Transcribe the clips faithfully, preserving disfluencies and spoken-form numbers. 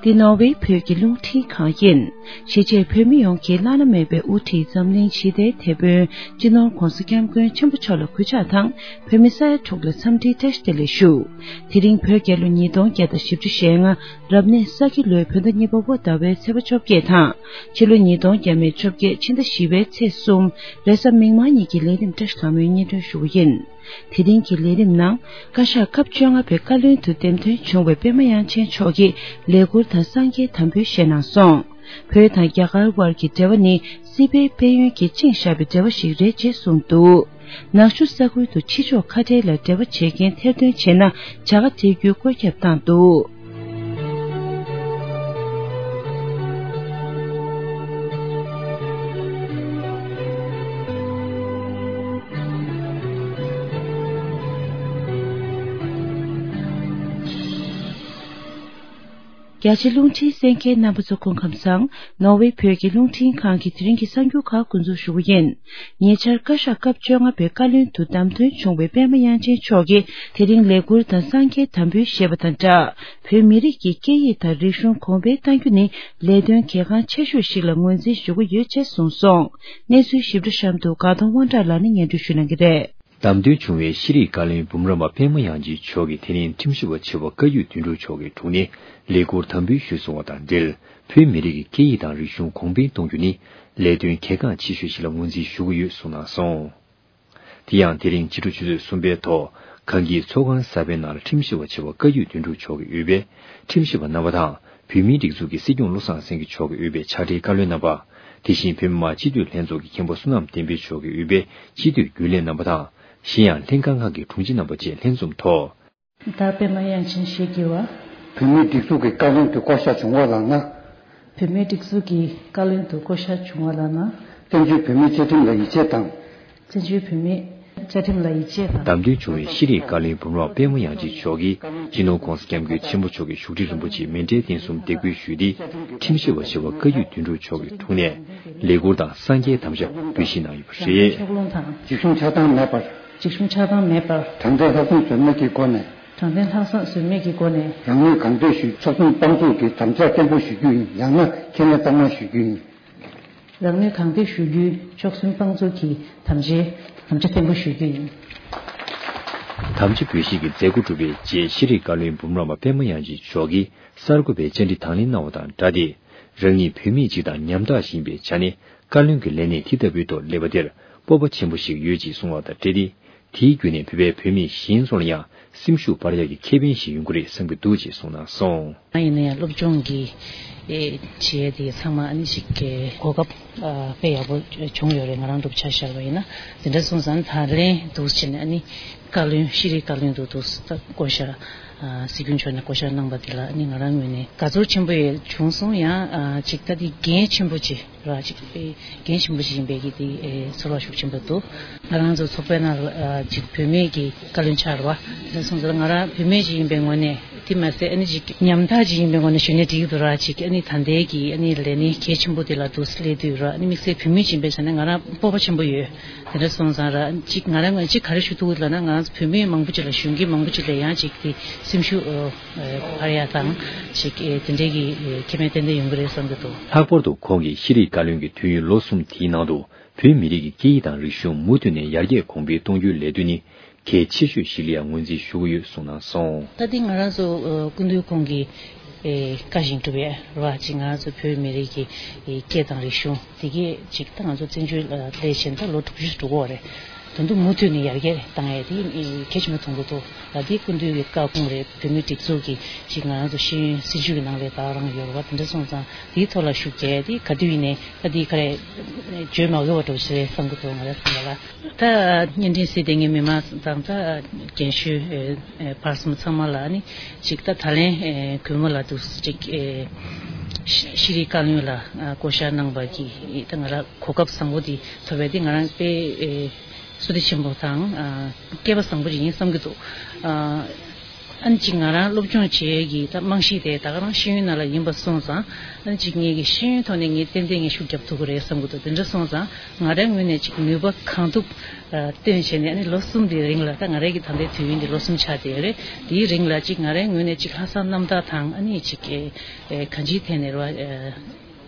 འདི་ནོར་ཝེ་བོད་ཀྱི་རླུང་འཕྲིན་ཁང་ཡིན། གཞིས་བྱེས་བོད་མི་ཡོངས་ཀྱི་བླ་ན་མེད་པའི་དབུ་ཁྲིད་འཛམ་གླིང་ཞི་བདེའི་དེད་དཔོན་སྤྱི་ནོར་༧གོང་ས་༧སྐྱབས་མགོན་ཆེན་པོ་མཆོག་ལ་གུས་ཕྱག་དང་། བོད་མི་ས་ཡ་དྲུག་ལ་འཚམས་འདྲིའི་བཀྲ་ཤིས་བདེ་ལེགས་ཞུ། དེ་རིང་བོད་རྒྱལ་ལོ་ཉིས་སྟོང་བརྒྱ་དང་བཞི་བཅུ་ཞེ་ལྔ། རབ་གནས་ས་ཁྱི་ལོའི་བོད་ཟླ་གཉིས་པ་པོ་ཟླ་བའི་ཚེས་པ་བཅོ་བརྒྱད་དང་། ཕྱི་ལོ་ཉིས་སྟོང་བརྒྱ་མེད་བཅོ་བརྒྱད་ཕྱི་ཟླ་བཞི་པའི་ཚེས་གསུམ། རེས་གཟའ་མིག་དམར་ཉིན་གྱི་ལས་རིམ་བཀྲ་ཤིས་ལྷ་མོའི་སྙན་སྒྲོན་ཞུ་བ་ཡིན། དེ་རིང་གི་ལས་རིམ་ནང་། བཀའ་ཤག་སྐབས་བཅོ་ལྔ་པའི་བཀའ་བློན་དུ་འདེམས་ཐོན་བྱུང་བའི་པད་མ་དབྱངས་ཅན་མཆོག་གིས་ལས་འཁུར་དང་སངས་རྒྱས་དམ་འབུལ་བཞེས་གནང་སོང་། བོད་དང་རྒྱ་གར་དབར་གྱི་འབྲེལ་བ་ནི་སྲིད་པའི་དཔལ་ཡོན་གྱིས་བཅིངས་བཞག་པའི་འབྲེལ་བ་ཞིག་རེད་ཅེས་གསུངས་འདུག། ནག་ཆུ་ས་ཁུལ་དུ་ཕྱི་ཕྱོགས་ཁ་བྲལ་ལ་འབྲེལ་བ་བྱེད་མཁན་ཐེར་འདོན་བྱས་ན་བྱ་དགའ་སྤྲད་རྒྱུའི་བཀོད་ཁྱབ་བཏང་འདུག། རྒྱ་ཆེ་རླུང་འཕྲིན་གསན་མཁན་རྣམ་པ་ཚོ་སྐུ་ཁམས་བཟང་། ནོར་ཝེ་བོད་ཀྱི་རླུང་འཕྲིན་ཁང་གི་དེ་རིང་གི་གསར་འགྱུར་ཁག་འགོ་འཛུགས་ཞུ་གི་ཡིན། ཉེ་ཆར་བཀའ་ཤག་སྐབས་བཅོ་ལྔ་པའི་བཀའ་བློན་དུ་བདམས་ཐོན་བྱུང་བའི་པད་མ་དབྱངས་ཅན་མཆོག་གིས་དེ་རིང་ལས་འཁུར་དང་སངས་རྒྱས་དམ་འབུལ་བཞེས་པ་དང་སྦྲགས། བོད་མི་རིགས་ཀྱི་སྐད་ཡིག་དང་རིག་གཞུང་གོང་འཕེལ་གཏང་རྒྱུ་ནི་ལས་དོན་གལ་འགངས་ཆེ་ཤོས་ཤིག་ལ་ངོས་འཛིན་ཞུ་གི་ཡོད་ཅེས་གསུངས་སོང་། གནས་ཚུལ་ཞིབ་ཕྲ་གཤམ་དུ་དགའ་གདོང་དབང་གྲགས་ལགས་ནས་སྙན་སྒྲོན་ཞུ་གནང་གི་རེད། བདམས་ཐོན་བྱུང་བའི་ཤེས་རིག་བཀའ་བློན་འབུམ་རམས་པ་པད་མ་དབྱངས་ཅན་མཆོག་གིས་དེ་རིང་ཁྲིམས་ཞིབ་པ་ཆེ་བ་བཀའ་བརྒྱུད་དོན་གྲུབ་མཆོག་གི་དྲུང་ནས་ལས་འཁུར་དམ་འབུལ་ཞུས་སོང་བ་དང་འབྲེལ། བོད་མི་རིགས་ཀྱི་སྐད་ཡིག་དང་རིག་གཞུང་གོང་འཕེལ་གཏོང་རྒྱུ་ནི་ལས་དོན་གལ་འགངས་ཆེ་ཤོས་ཤིག་ལ་ངོས་འཛིན་ཞུ་གི་ཡོད་གསུངས་གནང་སོང་། དེ་ཡང་དེ་རིང་ཕྱི་དྲོ་ཆུ་ཚོད་གསུམ་པའི་ཐོག་གངས་སྐྱིད་ཚོགས་ཁང་གསར་པའི་ནང་ལ་ཁྲིམས་ཞིབ་པ་ཆེ་བ་བཀའ་བརྒྱུད་དོན་གྲུབ་མཆོག་གིས་དབུས་པའི་ཁྲིམས་ཞིབ་པ་རྣམ་པ་དང་། བོད་མིའི་སྒྲིག་འཛུགས་ཀྱི་སྲིད་སྐྱོང་བློ་བཟང་སེང་གེ་མཆོག་གིས་དབུས་པའི་ཕྱག་སྦྲེལ་བཀའ་བློན་རྣམ་པ། དེ་བཞིན་བོད་མི་མང་སྤྱི་འཐུས་ལྷན་ཚོགས་ཀྱི་མཁན་པོ་བསོད་ནམས་བསྟན་འཕེལ་མཆོག་གིས་དབུས་པའི་སྤྱི་འཐུས་རྒྱུན་ལས་རྣམ་པ་དང་། གཞན་ཡང་ལྷན་ཁང་ཁག་གི་དྲུང་ཆེ་རྣམ་པ་བཅས་ལྷན་འཛོམས་ཐོག། ད་པད་མ་དབྱངས་ཅན་ཞེས་བགྱི་བ། བོད་མིའི་སྒྲིག་འཛུགས་ཀྱི་བཀའ་བློན་དུ་བསྐོ་བཞག་བྱུང་བ་ལགས་ན། བོད་མིའི་སྒྲིག་འཛུགས་ཀྱི་བཀའ་བློན་དུ་བསྐོ་བཞག་བྱུང་བ་ལགས་ན། བཙན་བྱོལ་བོད་མིའི་བཅའ་ཁྲིམས་ལ་ཡིད་ཆེས་དང་། བཙན་བྱོལ་བོད་མིའི་བཅའ་ཁྲིམས་ལ་ཡིད་ཆེས་དང་། བདམས་ཐོན་བྱུང་བའི་ཤེས་རིག་བཀའ་བློན་འབུམ་རམས་པད་མ་དབྱངས་ཅན་མཆོག་གིས་སྤྱི་ནོར་༧གོང་ས་༧སྐྱབས་མགོན་ཆེན་པོ་མཆོག་གི་བཞུགས་ཁྲི་རིན་པོ་ཆེའི་མཎྜལ་རྟེན་གསུམ་འདེགས་འབུལ་ཞུས་ཏེ། ཁྲིམས་ཞིབ་པ་ཆེ་བ་བཀའ་བརྒྱུད་དོན་གྲུབ་མཆོག་གི་དྲུང་ནས་ལས་འཁུར་དང་སངས་རྒྱས་དམ་བཅའ་འབུལ་བཞེས་གནང་ཡོད་པ་རེད། ཕྱོགས་ལྷུང་དང་། འཇིགས་ཞུམ་ཆགས་སྡང་མེད་པར། འཇིགས་ཞུམ་ཆགས་སྡང་མེད་པར། དྲང་བདེན་ལྷག་བསམ་ཟོལ་མེད་ཀྱི་སྒོ་ནས། དྲང་བདེན་ལྷག་བསམ་ཟོལ་མེད་ཀྱི་སྒོ་ནས། རང་ནུས་གང་ཐོན་ཞུ། ཚོགས་ཆུང་དཔང་འཛུགས་ཀྱི་དམ་བཅའ་བརྟན་པོ་ཞུ་རྒྱུ་ཡིན། ཡང་ན་ཁས་ལེན་གཙང་མ་ཞུ་རྒྱུ་ཡིན། རང་ནུས་གང་ཐོན་ཞུ་རྒྱུའི་ཆོག་མཆན་དཔང་འཛུགས་ཀྱི་དམ་བཅའ་དམ་བཅའ་བརྟན་པོ་ཞུ་རྒྱུ་ཡིན། དམ་བཅའ་འབུལ་བཞེས་ཀྱི་མཛད་སྒོ་གྲུབ་པའི་རྗེས་ཤེས་རིག་བཀའ་བློན་འབུམ་རམས་པ་པད་མ་དབྱངས་ཅན་མཆོག་གིས་གསར་འགོད་པའི་བཅར་འདྲི་དང་ལེན་གནང་བ་དང་སྦྲགས་ཏེ། རང་ཉིད་བོད་མི་གཅིག་དང་ཉམ་ཐག་ཡིན་པའི་ཆ་ནས་བཀའ་བློན་གྱི་ལས་གནས་དེ་ལྟ་བུའི་ཐོག་སླེབས་པ་དེར་སྤོབས་པ་ཆེན་པོ་ཞིག་ཡོད་ཅེས་གསུངས་པ་དང་འབྲེལ་ཏེ། དེའི་བརྒྱུད་ནས་བོད་པའི་བོད་མི་གཞན་ཚོ་ལ་ཡང་སེམས་ཤུགས་སྤར་ཡག་གི་ཁེ་ཕན་ཞིག་ཡོང་གི་རེད་བསམ་གྱི་འདུག་ཅེས་གསུངས་གནང་སོང་། ང་ཡིན་ན་ཡང་སློབ་སྦྱོང་གི་ཨེ་བྱེད་ཡས་དེ་ཚང་མ་ཨ་ནི་ཞིག་གི་གོ་སྐབས་ཨ་དཔེ་ཡག་པོ་བྱུང་ཡོད་རེད། ང་རང་སྒྲུབ་ཆ་བཞག་པ་ཡིན་ན། དེ་འདྲ་སོང་ཙང་ད་ལན་འདུག་ཕྱིན་ནས་ཨ་ནི་བཀའ་བློན་ཤེས་རིག་བཀའ་བློན་དུ་འདུག་ད་བསྐོ་བཞག་ཨ་སྲིད་སྐྱོང་མཆོག་ནས་བསྐོ་བཞག་གནང་པ་དེ་ལ་ཨ་ནི་ང་རང་ངོས་ནས་དགའ་ཚོར་ཆེན་པོ་ཡང་བྱུང་སོང་། ཡང་ཨ་ཅིག་ད་དེ་འགན་ཆེན་པོ་ཅིག་ར་ཅིག་དཔེ་འགན་ཆེན་པོ་ཞིག་ཡིན་པའི་གི་དེ་ཨེ་ཚོར་བ་ཤུགས་ཆེན་པོ་འདུག་ང་རང་ཚོ་ཚོགས་པའི་ནང་ལ་ཨ་ཅིག་བུད་མེད་ཀྱི་བཀའ་བློན་ཆགས་རེད་བ། དེ་སོང་ཙང་ང་རང་བུད་མེད་ཅིག་ཡིན་པའི་ངོས་ནས་དེ་མ་ཟད་ཨ་ནི་ཅིག་ཉམ་ཐག་ཅིག་ཡིན་པའི་ངོས་ནས་ཞུ་ནས་འགྲིག་གི་འདུག་ར། ཅིག་ཨ་ནི་ད་ལྟའི་གི་ཨ་ནི་ལས་གནས་གལ་ཆེན་པོ་དེ་ལ་འདུག་སླེབས་དུས་ར། ཨ་ནི་དམིགས་བསལ་བུད་མེད་ཅིག་ཡིན་པའི་ཆ་ནས་ང་རང་སྤོབས་པ་ཆེན་པོ་ཡོད། དེ་འདྲ་སོང་ཙང་ར་ཅིག་ང་རང་ཅིག་ག་རེ་ཞུ་ཐུབ་ལབ་ན། ང་རང་ཚོ་བུད་མེད་མང་པོ་ཅིག་ལ་གཞོན་སྐྱེས་མང་པོ་ཅིག་ལ་ཡང་ཅིག་དེ་སེམས་ཤུགས་ཨ་ཨ་འཕར་ཡག་དང་ཅིག་ཨེ་དེ་འདྲའི་གི་ཨེ་ཁེ་ཕན་ཏན་ཏན་ཡོང་གི་རེད་བསམ་གྱི་འདུག་ལྷག་པར་དུ་ཁོང་གིས་ཤེས་རིག་བཀའ་བློན་གྱི་དུས་ཡུན་ལོ་གསུམ་དེའི་ནང་དུ་བོད་མི་རིགས་ཀྱི་སྐད་ཡིག་དང་རིག་གཞུང་མུ་མཐུད་ནས་ཡར་རྒྱས་གོང་འཕེལ་གཏོང་རྒྱུའི་ལས་དོན་ནི་གལ་ཆེ་ཤོས་ཤིག་ལ་ཡང་ངོས་འཛིན་ཞུ་གི་ཡོད་གསུངས་གནང་སོང་། ད་ཐེངས་ང་རང་ཚོ་ཨ་སྐུ་མདུན་ཁོང་གི་ཨེ་བཀའ་བཞིན་སྒྲུབ་ཡས་རེད་བ། ཅིག་ང་རང་ཚོ་བོད་མི་རིགས་ཀྱི་ཨེ་སྐད་དང་རིག་གཞུང་དེ་གས་ཅིག་ད་ང་ཚོ་བཙན་བྱོལ་ལ་སླེབས་བྱས་ད་ལོ་དྲུག་ཅུ་འགྲོ་གི་ཡོད་རེད། ད་དུང་མུ་མཐུད་ནས་ཡར་རྒྱས་བཏང་ཡས་དེ་གལ་ཆེན་པོ་མཐོང་གི་འདུག་ལ་དེ་སྐུ་མདུན་གྱི་བཀའ་དགོངས་རེད། བོད་མིའི་སྒྲིག་འཛུགས་ཀྱི་ཅིག་ང་རང་ཚོ་ཤེས་ཡོན་སྲིད་བྱུས་ཀྱི་ནང་ལ་ད་རང་ཡོད་རེད་བ། དེ་འདྲ་སོང་ཙང་དེའི་ཐོག་ལ་ཤུགས་རྒྱག་ཡས་དེ་ག་དུས་ཡིན་ནའི་ད་དེ་ག་རེ་བརྗོད་མ་དགོས་པ་འདྲ་བོ་ཞིག་རེད་བསམ་གྱི་འདུག་ང་རང་བསམ་པ་ལ། ད་བརྙན་འཕྲིན་གཟིགས་བསྡད་མཁན་མི་མང་དང་ད་རྒན་གཞོན་ཨེ་ཨེ་བར་གསུམ་ཚང་མ་ལ་ནི་ཅིག་ད་ད་ལན་ཨེ་གུས་མོ་ལ་འདུག་ཅིག་ཨེ་ཤེས་རིག་བཀའ་བློན་ལ་ཨ་བསྐོ་བཞག་གནང་པ་གི་ད་ང་རང་གོ་སྐབས་བཟང་པོ་འདི་ཐོབ་པ་དེ་ང་རང་དཔེ་ཨེ་བསོད་བདེ་ཆེན་པོ་དང་ཨ་སྐལ་པ་བཟང་པོ་ཞིག་ཡིན་བསམ་གྱི་འདུག་ཨ་ ཨ་ནི་ཅིག་ང་རང་སློབ་སྦྱོང་བྱེད་ཡས་ཀྱི་ད་རྨང་གཞི་དེ་ད་ག་རང་ཤེས་ཡོན་ནང་ལ་ཡིན་པ་སོང་ཙང་། ཨ་ནི་ཅིག་ངེད་ཀྱི་ཤེས་ཡོན་ཐོག་ནས་ངས་ཏན་ཏན་ངས་ཤུགས་རྒྱབ་ཐུབ་ཀྱི་རེད་བསམ་གྱི་འདུག་དེ་འདྲ་སོང་ཙང་ང་རང་ངོས་ནས་ཅིག་ནུས་པ་གང་ཐུབ་ཨ་བཏོན་བྱས་ནས། ཨ་ནི་ལོ་གསུམ་དེའི་རིང་ལ། ད་ང་རང་གི་ད་ལྟའི་དུས་ཡུན་དེ་ལོ་གསུམ་ཆགས་བསྡད་ཡོད་རེད། དེའི་རིང་ལ་ཅིག་ང་རང་ངོས་ནས་ཅིག་ལྷག་བསམ་རྣམ་དག་དང་། ཨ་ནི་ཅིག་ཨེ་གང་ཅིའི་ཐད་ནས་རེད་བ། ཨ་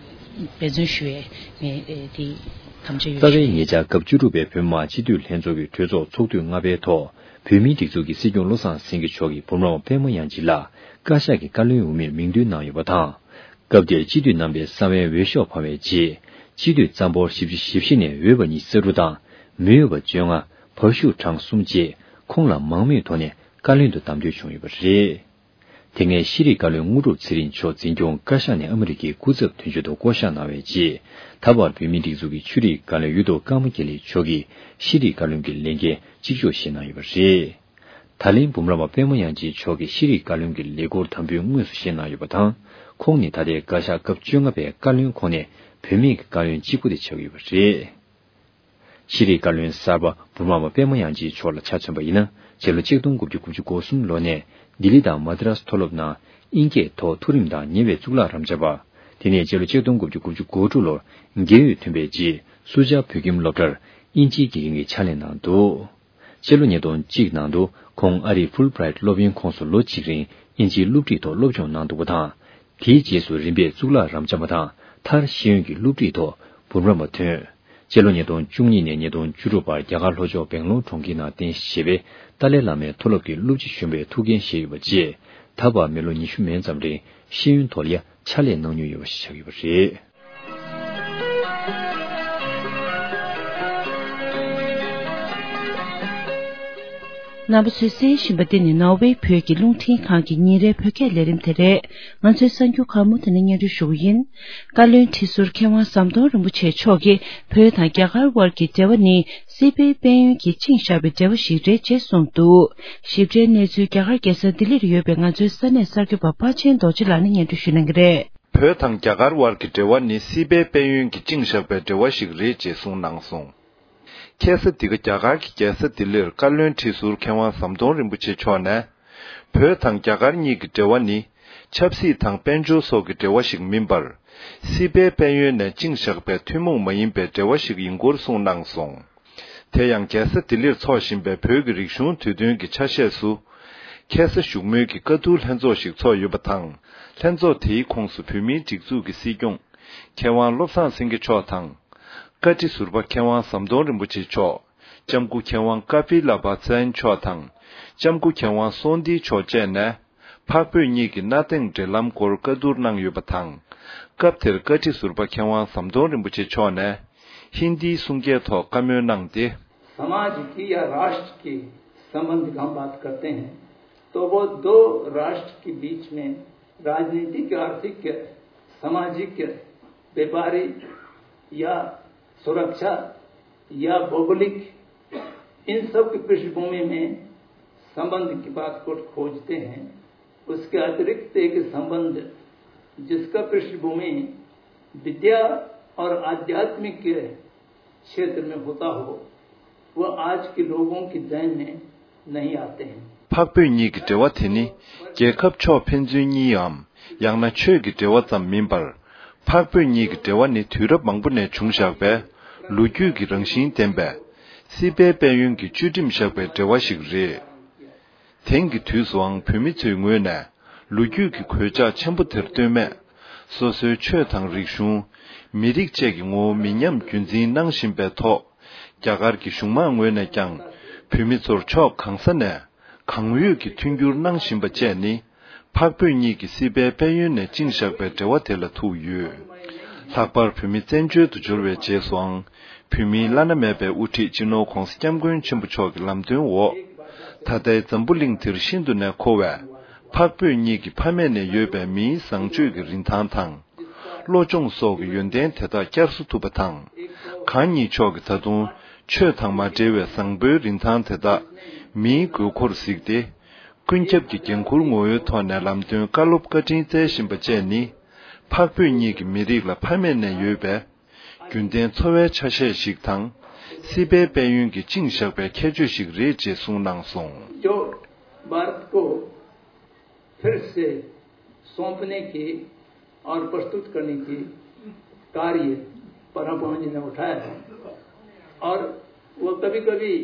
འབད་བརྩོན་ཞུ་ཡས་ངས་ཨེ་དེ་དམ་བཅའ་ཡོད། རྩ་བའི་ཉེ་ཆར་སྐབས་བཅུ་དྲུག་པའི་བོད་མི་མང་སྤྱི་འཐུས་ལྷན་ཚོགས་ཀྱི་གྲོས་ཚོགས་ཚོགས་དུས་ལྔ་པའི་ཐོག་བོད་མིའི་སྒྲིག་འཛུགས་ཀྱི་སྲིད་སྐྱོང་བློ་བཟང་སེང་གེ་མཆོག་གིས་འབུམ་རམས་པ་པད་མ་དབྱངས་ཅན་ལགས་བཀའ་ཤག་གི་བཀའ་བློན་འོས་མིར་མིང་འདོན་གནང་ཡོད་པ་དང་། སྐབས་དེར་སྤྱི་འཐུས་རྣམ་པས་གསང་བའི་འོས་ཤོག་འཕངས་པའི་རྗེས། སྤྱི་འཐུས་རྩ་འབོར་བཞི་བཅུ་ཞེ་བཞི་ནས་འོས་པ་ཉི་ཤུ་རྩ་དྲུག་དང་། མི་འོས་པ་བཅོ་ལྔ། བར་ཞུགས་གྲངས་གསུམ་བཅས་ཁོང་ལ་མང་མོས་ཐོག་ནས་བཀའ་བློན་དུ་བདམས་ཐོན་བྱུང་ཡོད་པ་རེད། དེ་སྔའི་ཤེས་རིག་བཀའ་བློན་དངོས་གྲུབ་ཚེ་རིང་མཆོག་འཛིན་སྐྱོང་བཀའ་ཤག་ནས་ཨ་མི་རི་ཀའི་སྐུ་ཚབ་དོན་གཅོད་དུ་བསྐོ་གཞག་གནང་བའི་རྗེས། ད་བར་བོད་མིའི་སྒྲིག་འཛུགས་ཀྱི་ཆོས་རིག་བཀའ་བློན་གཡུ་ཐོག་ཀརྨ་དགེ་ལེགས་མཆོག་གིས་ཤེས་རིག་བཀའ་བློན་གྱི་ལས་འགན་གཅིག་ལྕོགས་བཞེས་གནང་ཡོད་པ་རེད། ད་ལན་འབུམ་རམས་པ་པད་མ་དབྱངས་ཅན་མཆོག་གིས་ཤེས་རིག་བཀའ་བློན་གྱི་ལས་འཁུར་དམ་འབུལ་དངོས་སུ་བཞེས་གནང་ཡོད་པ་དང་། ཁོང་ནི་ད་ལྟའི་བཀའ་ཤག་སྐབས་བཅོ་ལྔ་པའི་བཀའ་བློན་ཁོངས་ནས་བུད་མེད་ཀྱི་བཀའ་བློན་གཅིག་པུ་དེ་ཆགས་ཡོད་པ་རེད། ཤེས་རིག་བཀའ་བློན་གསར་པ་འབུམ་རམས་པ་པད་མ་དབྱངས་ཅན་མཆོག་ལ་ཆ་མཚོན་པ་ཡིན་ན། སྤྱི་ལོ་ཆིག་སྟོང་དགུ་བརྒྱ་དགུ་བཅུ་གོ་གསུམ་ལོ་ནས་ལྡི་ལི་དང་མ་དི་རཱས་མཐོ་སློབ་ནང་དབྱིན་སྐད་ཐོག་མཐོ་རིམ་དང་ཉེ་བའི་གཙུག་ལག་རབ་འབྱམས་པ། དེ་ནས་སྤྱི་ལོ་ཆིག་སྟོང་དགུ་བརྒྱ་དགུ་བཅུ་གོ་དྲུག་ལོར་རྒས་ཡོལ་ཐོན་པའི་རྗེས། སུ་ཇཱ་བོད་ཁྱིམ་སློབ་གྲྭར་དབྱིན་ཇིའི་དགེ་རྒན་གྱི་ཕྱག་ལས་གནང་འདུག་སྤྱི་ལོ་ཉིས་སྟོང་གཅིག་ནང་དུ་ཁོང་ཨ་རིའི་ཧྥུལ་བྷི་རའིཊ་སློབ་ཡོན་ཁོངས་སུ་ལོ་གཅིག་རིང་དབྱིན་ཇིའི་སློབ་ཁྲིད་ཐོག་སློབ་སྦྱོང་གནང་འདུག་པ་དང་། དེའི་རྗེས་སུ་རིམ་པས་གཙུག་ལག་རབ་འབྱམས་པ་དང་མཐར་ཤེས་ཡོན་གྱི་སློབ་ཁྲིད་ཐོག་འབུམ་རམས་པ་ཐོན། སྤྱི་ལོ་ཉིས་སྟོང་བཅུ་གཉིས་ནས་ཉིས་སྟོང་བཅུ་དྲུག་བར་རྒྱ་གར་ལྷོ་ཕྱོགས་སྦེང་ལོར་གྲོང་ཁྱེར་ནང་རྟེན་གཞི་བྱས་པའི་ཏཱ་ལའི་བླ་མའི་མཐོ་སློབ་ཀྱི་སློབ་སྤྱི་གཞོན་པའི་ཐུགས་འགན་བཞེས་ཡོད་པ་བཅས། ད་བར་མི་ལོ་ཉི་ཤུ་མན་ཙམ་རིང་ཤེས་ཡོན་ཐོག་ལ་ཡང་ཕྱག་ལས་གནང་མྱོང་ཡོད་པ་ཞིག་ཆགས་ཡོད་པ་རེད། རྣམ་པ་ཚོས་གསན་བཞིན་པ་འདི་ནི་ནོར་ཝེ་བོད་ཀྱི་རླུང་འཕྲིན་ཁང་གི་ཉིན་རེའི་བོད་སྐད་ལས་རིམ་དེ་རེད། ང་ཚོའི་གསར་འགྱུར་ཁག་མུ་མཐུད་ནས་སྙན་སྒྲོན་ཞུ་གི་ཡིན། བཀའ་བློན་ཁྲི་ཟུར་མཁས་དབང་ཟམ་གདོང་རིན་པོ་ཆེ་མཆོག་གིས་བོད་དང་རྒྱ་གར་དབར་གྱི་འབྲེལ་བ་ནི་སྲིད་པའི་དཔལ་ཡོན་གྱིས་བཅིངས་བཞག་པའི་འབྲེལ་བ་ཞིག་རེད་ཅེས་གསུངས་འདུག་ཞིབ་ཕྲའི་གནས་ཚུལ་རྒྱ་གར་རྒྱལ་ས་ལྡི་ལིར་ཡོད་པའི་ང་ཚོའི་ས་གནས་གསར་འགོད་པ་པ་ཆེན་རྡོ་རྗེ་ལགས་ནས་སྙན་སྒྲོན་ཞུ་གནང་གི་རེད། བོད་དང་རྒྱ་གར་དབར་གྱི་འབྲེལ་བ་ནི་སྲིད་པའི་དཔལ་ཡོན་གྱིས་བཅིངས་བཞག་པའི་འབྲེལ་བ་ཞིག་རེད་ཅེས་གསུངས་གནང་སོང་། ཁ་སང་འདི་ག་རྒྱ་གར་གྱི་རྒྱལ་ས་ལྡི་ལིར་བཀའ་བློན་ཁྲི་ཟུར་མཁས་དབང་ཟམ་གདོང་རིན་པོ་ཆེ་མཆོག་ནས། བོད་དང་རྒྱ་གར་གཉིས་ཀྱི་འབྲེལ་བ་ནི། ཆབ་སྲིད་དང་དཔལ་འབྱོར་སོགས་ཀྱི་འབྲེལ་བ་ཞིག་མིན་པར། སྲིད་པའི་དཔལ་ཡོན་ནས་བཅིངས་བཞག་པའི་ཐུན་མོང་མ་ཡིན་པའི་འབྲེལ་བ་ཞིག་ཡིན་སྐོར་གསུངས་གནང་སོང་། དེ་ཡང་རྒྱལ་ས་ལྡི་ལིར་འཚོགས་བཞིན་པའི་བོད་ཀྱི་རིག་གཞུང་དུས་སྟོན་གྱི་ཆ་ཤས་སུ། ཁ་སང་བཞུགས་མོལ་གྱི་བཀའ་བསྡུར་ལྷན་ཚོགས་ཤིག་ཚོགས་ཡོད་པ་དང་། ལྷན་ཚོགས་དེའི་ཁོངས་སུ་བོད་མིའི་སྒྲིག་འཛུགས་ཀྱི་སྲིད་སྐྱོང་། མཁས་དབང་བློ་བཟང་སེང་གེ་མཆོག་དང་། བཀའ་ཁྲི་ཟུར་པ་མཁས་དབང་ཟམ་གདོང་རིན་པོ་ཆེ་མཆོག་ལྕམ་སྐུ་མཁས་དབང་ཀ་པི་ལ་བྷ་ཛན་མཆོག་དང་། ལྕམ་སྐུ་མཁས་དབང་སོང་ཏི་མཆོག་བཅས་ནས། འཕགས་བོད་གཉིས་ཀྱི་གནའ་དེང་འབྲེལ་ལམ་སྐོར་བཀའ་བསྡུར་གནང་ཡོད་པ་དང་། སྐབས་དེར་བཀའ་ཁྲི་ཟུར་པ་མཁས་དབང་ཟམ་གདོང་རིན་པོ་ཆེ་མཆོག་ནས། ཧིན་དིའི་གསུང་སྐད་ཐོག་བཀའ་མོལ་གནང་སྟེ། समाज की या राष्ट्र की संबंध की हम बात करते हैं, तो वो दो राष्ट्र के बीच में राजनीतिक, आर्थिक, सामाजिक, व्यापारी या सुरक्षा या भौगोलिक, इन सब की पृष्ठभूमि में संबंध की बात को खोजते हैं। उसके अतिरिक्त एक संबंध जिसका पृष्ठभूमि विद्या और आध्यात्मिक क्षेत्र में होता हो, वह आज के लोगों के जहन में नहीं आते हैं। འཕགས་བོད་གཉིས་ཀྱི་འབྲེལ་བ་དེ་ནི་རྒྱལ་ཁབ་ཕྱོགས་ཕན་ཚུན་གཉིས་འམ། ཡང་ན་ཆོས་ཀྱི་འབྲེལ་བ་ཙམ་མིན་པར། འཕགས་བོད་གཉིས་ཀྱི་འབྲེལ་བ་ནི་དུས་རབས་མང་པོ་ནས་བྱུང་བཞག་པའི་ལོ་རྒྱུས་ཀྱི་རང་བཞིན་ལྡན་པའི་སྲིད་པའི་དཔལ་ཡོན་གྱིས་བཅུད་འགྲིམ་བཞག་པའི་འབྲེལ་བ་ཞིག་རེད། དེང་གི་དུས་སུའང་བོད་མི་ཚོའི་ངོས་ནས་ལོ་རྒྱུས་ཀྱི་གོད་ཆག་ཆེན་པོ་དེར་ལྟོས་མེད། སོ་སོའི་ཆོས་དང་རིག་གཞུང་། མི་རིགས་བཅས་ཀྱི་ངོ་བོ་མི་ཉམས་རྒྱུན་འཛིན་གནང་བཞིན་པའི་ཐོག་རྒྱ་གར་གྱི་གཞུང་མང་ངོས་ནས་ཀྱང་བོད་མི་ཚོར་ཕྱོགས་གང་ས་ནས་གང་འོས་ཀྱི་མཐུན་འགྱུར་གནང་བཞིན་པ་བཅས་ནི། འཕགས་བོད་གཉིས་ཀྱི་སྲིད་པའི་དཔལ་ཡོན་ནས་བཅིངས་བཞག་པའི་འབྲེལ་བ་དེ་ལ་ཐུག་ཡོད། ལྷག་པར་བོད་མི་བཙན་བྱོལ་དུ་འབྱོར་བའི་རྗེས་སུའང་། བོད་མིའི་བླ་ན་མེད་པའི་དབུ་ཁྲིད་སྤྱི་ནོར་༧གོང་ས་༧སྐྱབས་མགོན་ཆེན་པོ་མཆོག་གི་ལམ་སྟོན་འོག་ད་ལྟའི་འཛམ་བུ་གླིང་འདིར་ཤིན་ཏུ་ནས་མཁོ་བའི་འཕགས་བོད་གཉིས་ཀྱི་ཕ་མེས་ནས་ཡོད་པའི་མིའི་བཟང་སྤྱོད་ཀྱི་རིན་ཐང་དང་། བློ་སྦྱོང་སོགས་ཀྱི་ཡོན་ཏན་དེ་དག་བསྐྱར་གསོ་ཐུབ་པ་དང་། གང་ཉིད་མཆོག་གིས་ད་དུང་ཆོས་དང་མ་འབྲེལ་བའི་བཟང་པོའི་རིན་ཐང་དེ་དག་མིའི་དགོས་མཁོར་གཟིགས་ཏེ། ཀུན་ཁྱབ་ཀྱི་འགན་འཁུར་ངོ་བོའི་ཐོག་ནས་ལམ་སྟོན་བཀའ་སློབ་བཀའ་དྲིན་སྩལ་བཞིན་པ་བཅས་ནི། འཕགས་བོད་གཉིས་ཀྱི་མི་རིགས་ལ་ཕ་མེས་ནས་ཡོད་པའི་རྒྱུན་ལྡན་འཚོ་བའི་ཆ་ཤས་ཤིག་དང་། སྲིད་པའི་དཔལ་ཡོན་གྱིས་བཅིངས་བཞག་པའི་ཁྱད་ཆོས་ཤིག་རེད་ཅེས་གསུངས་གནང་སོང་། जो भारत को फिर से सौंपने की और प्रस्तुत करने की कार्य पद्मा पावन जी ने उठाया है। और वो कभी कभी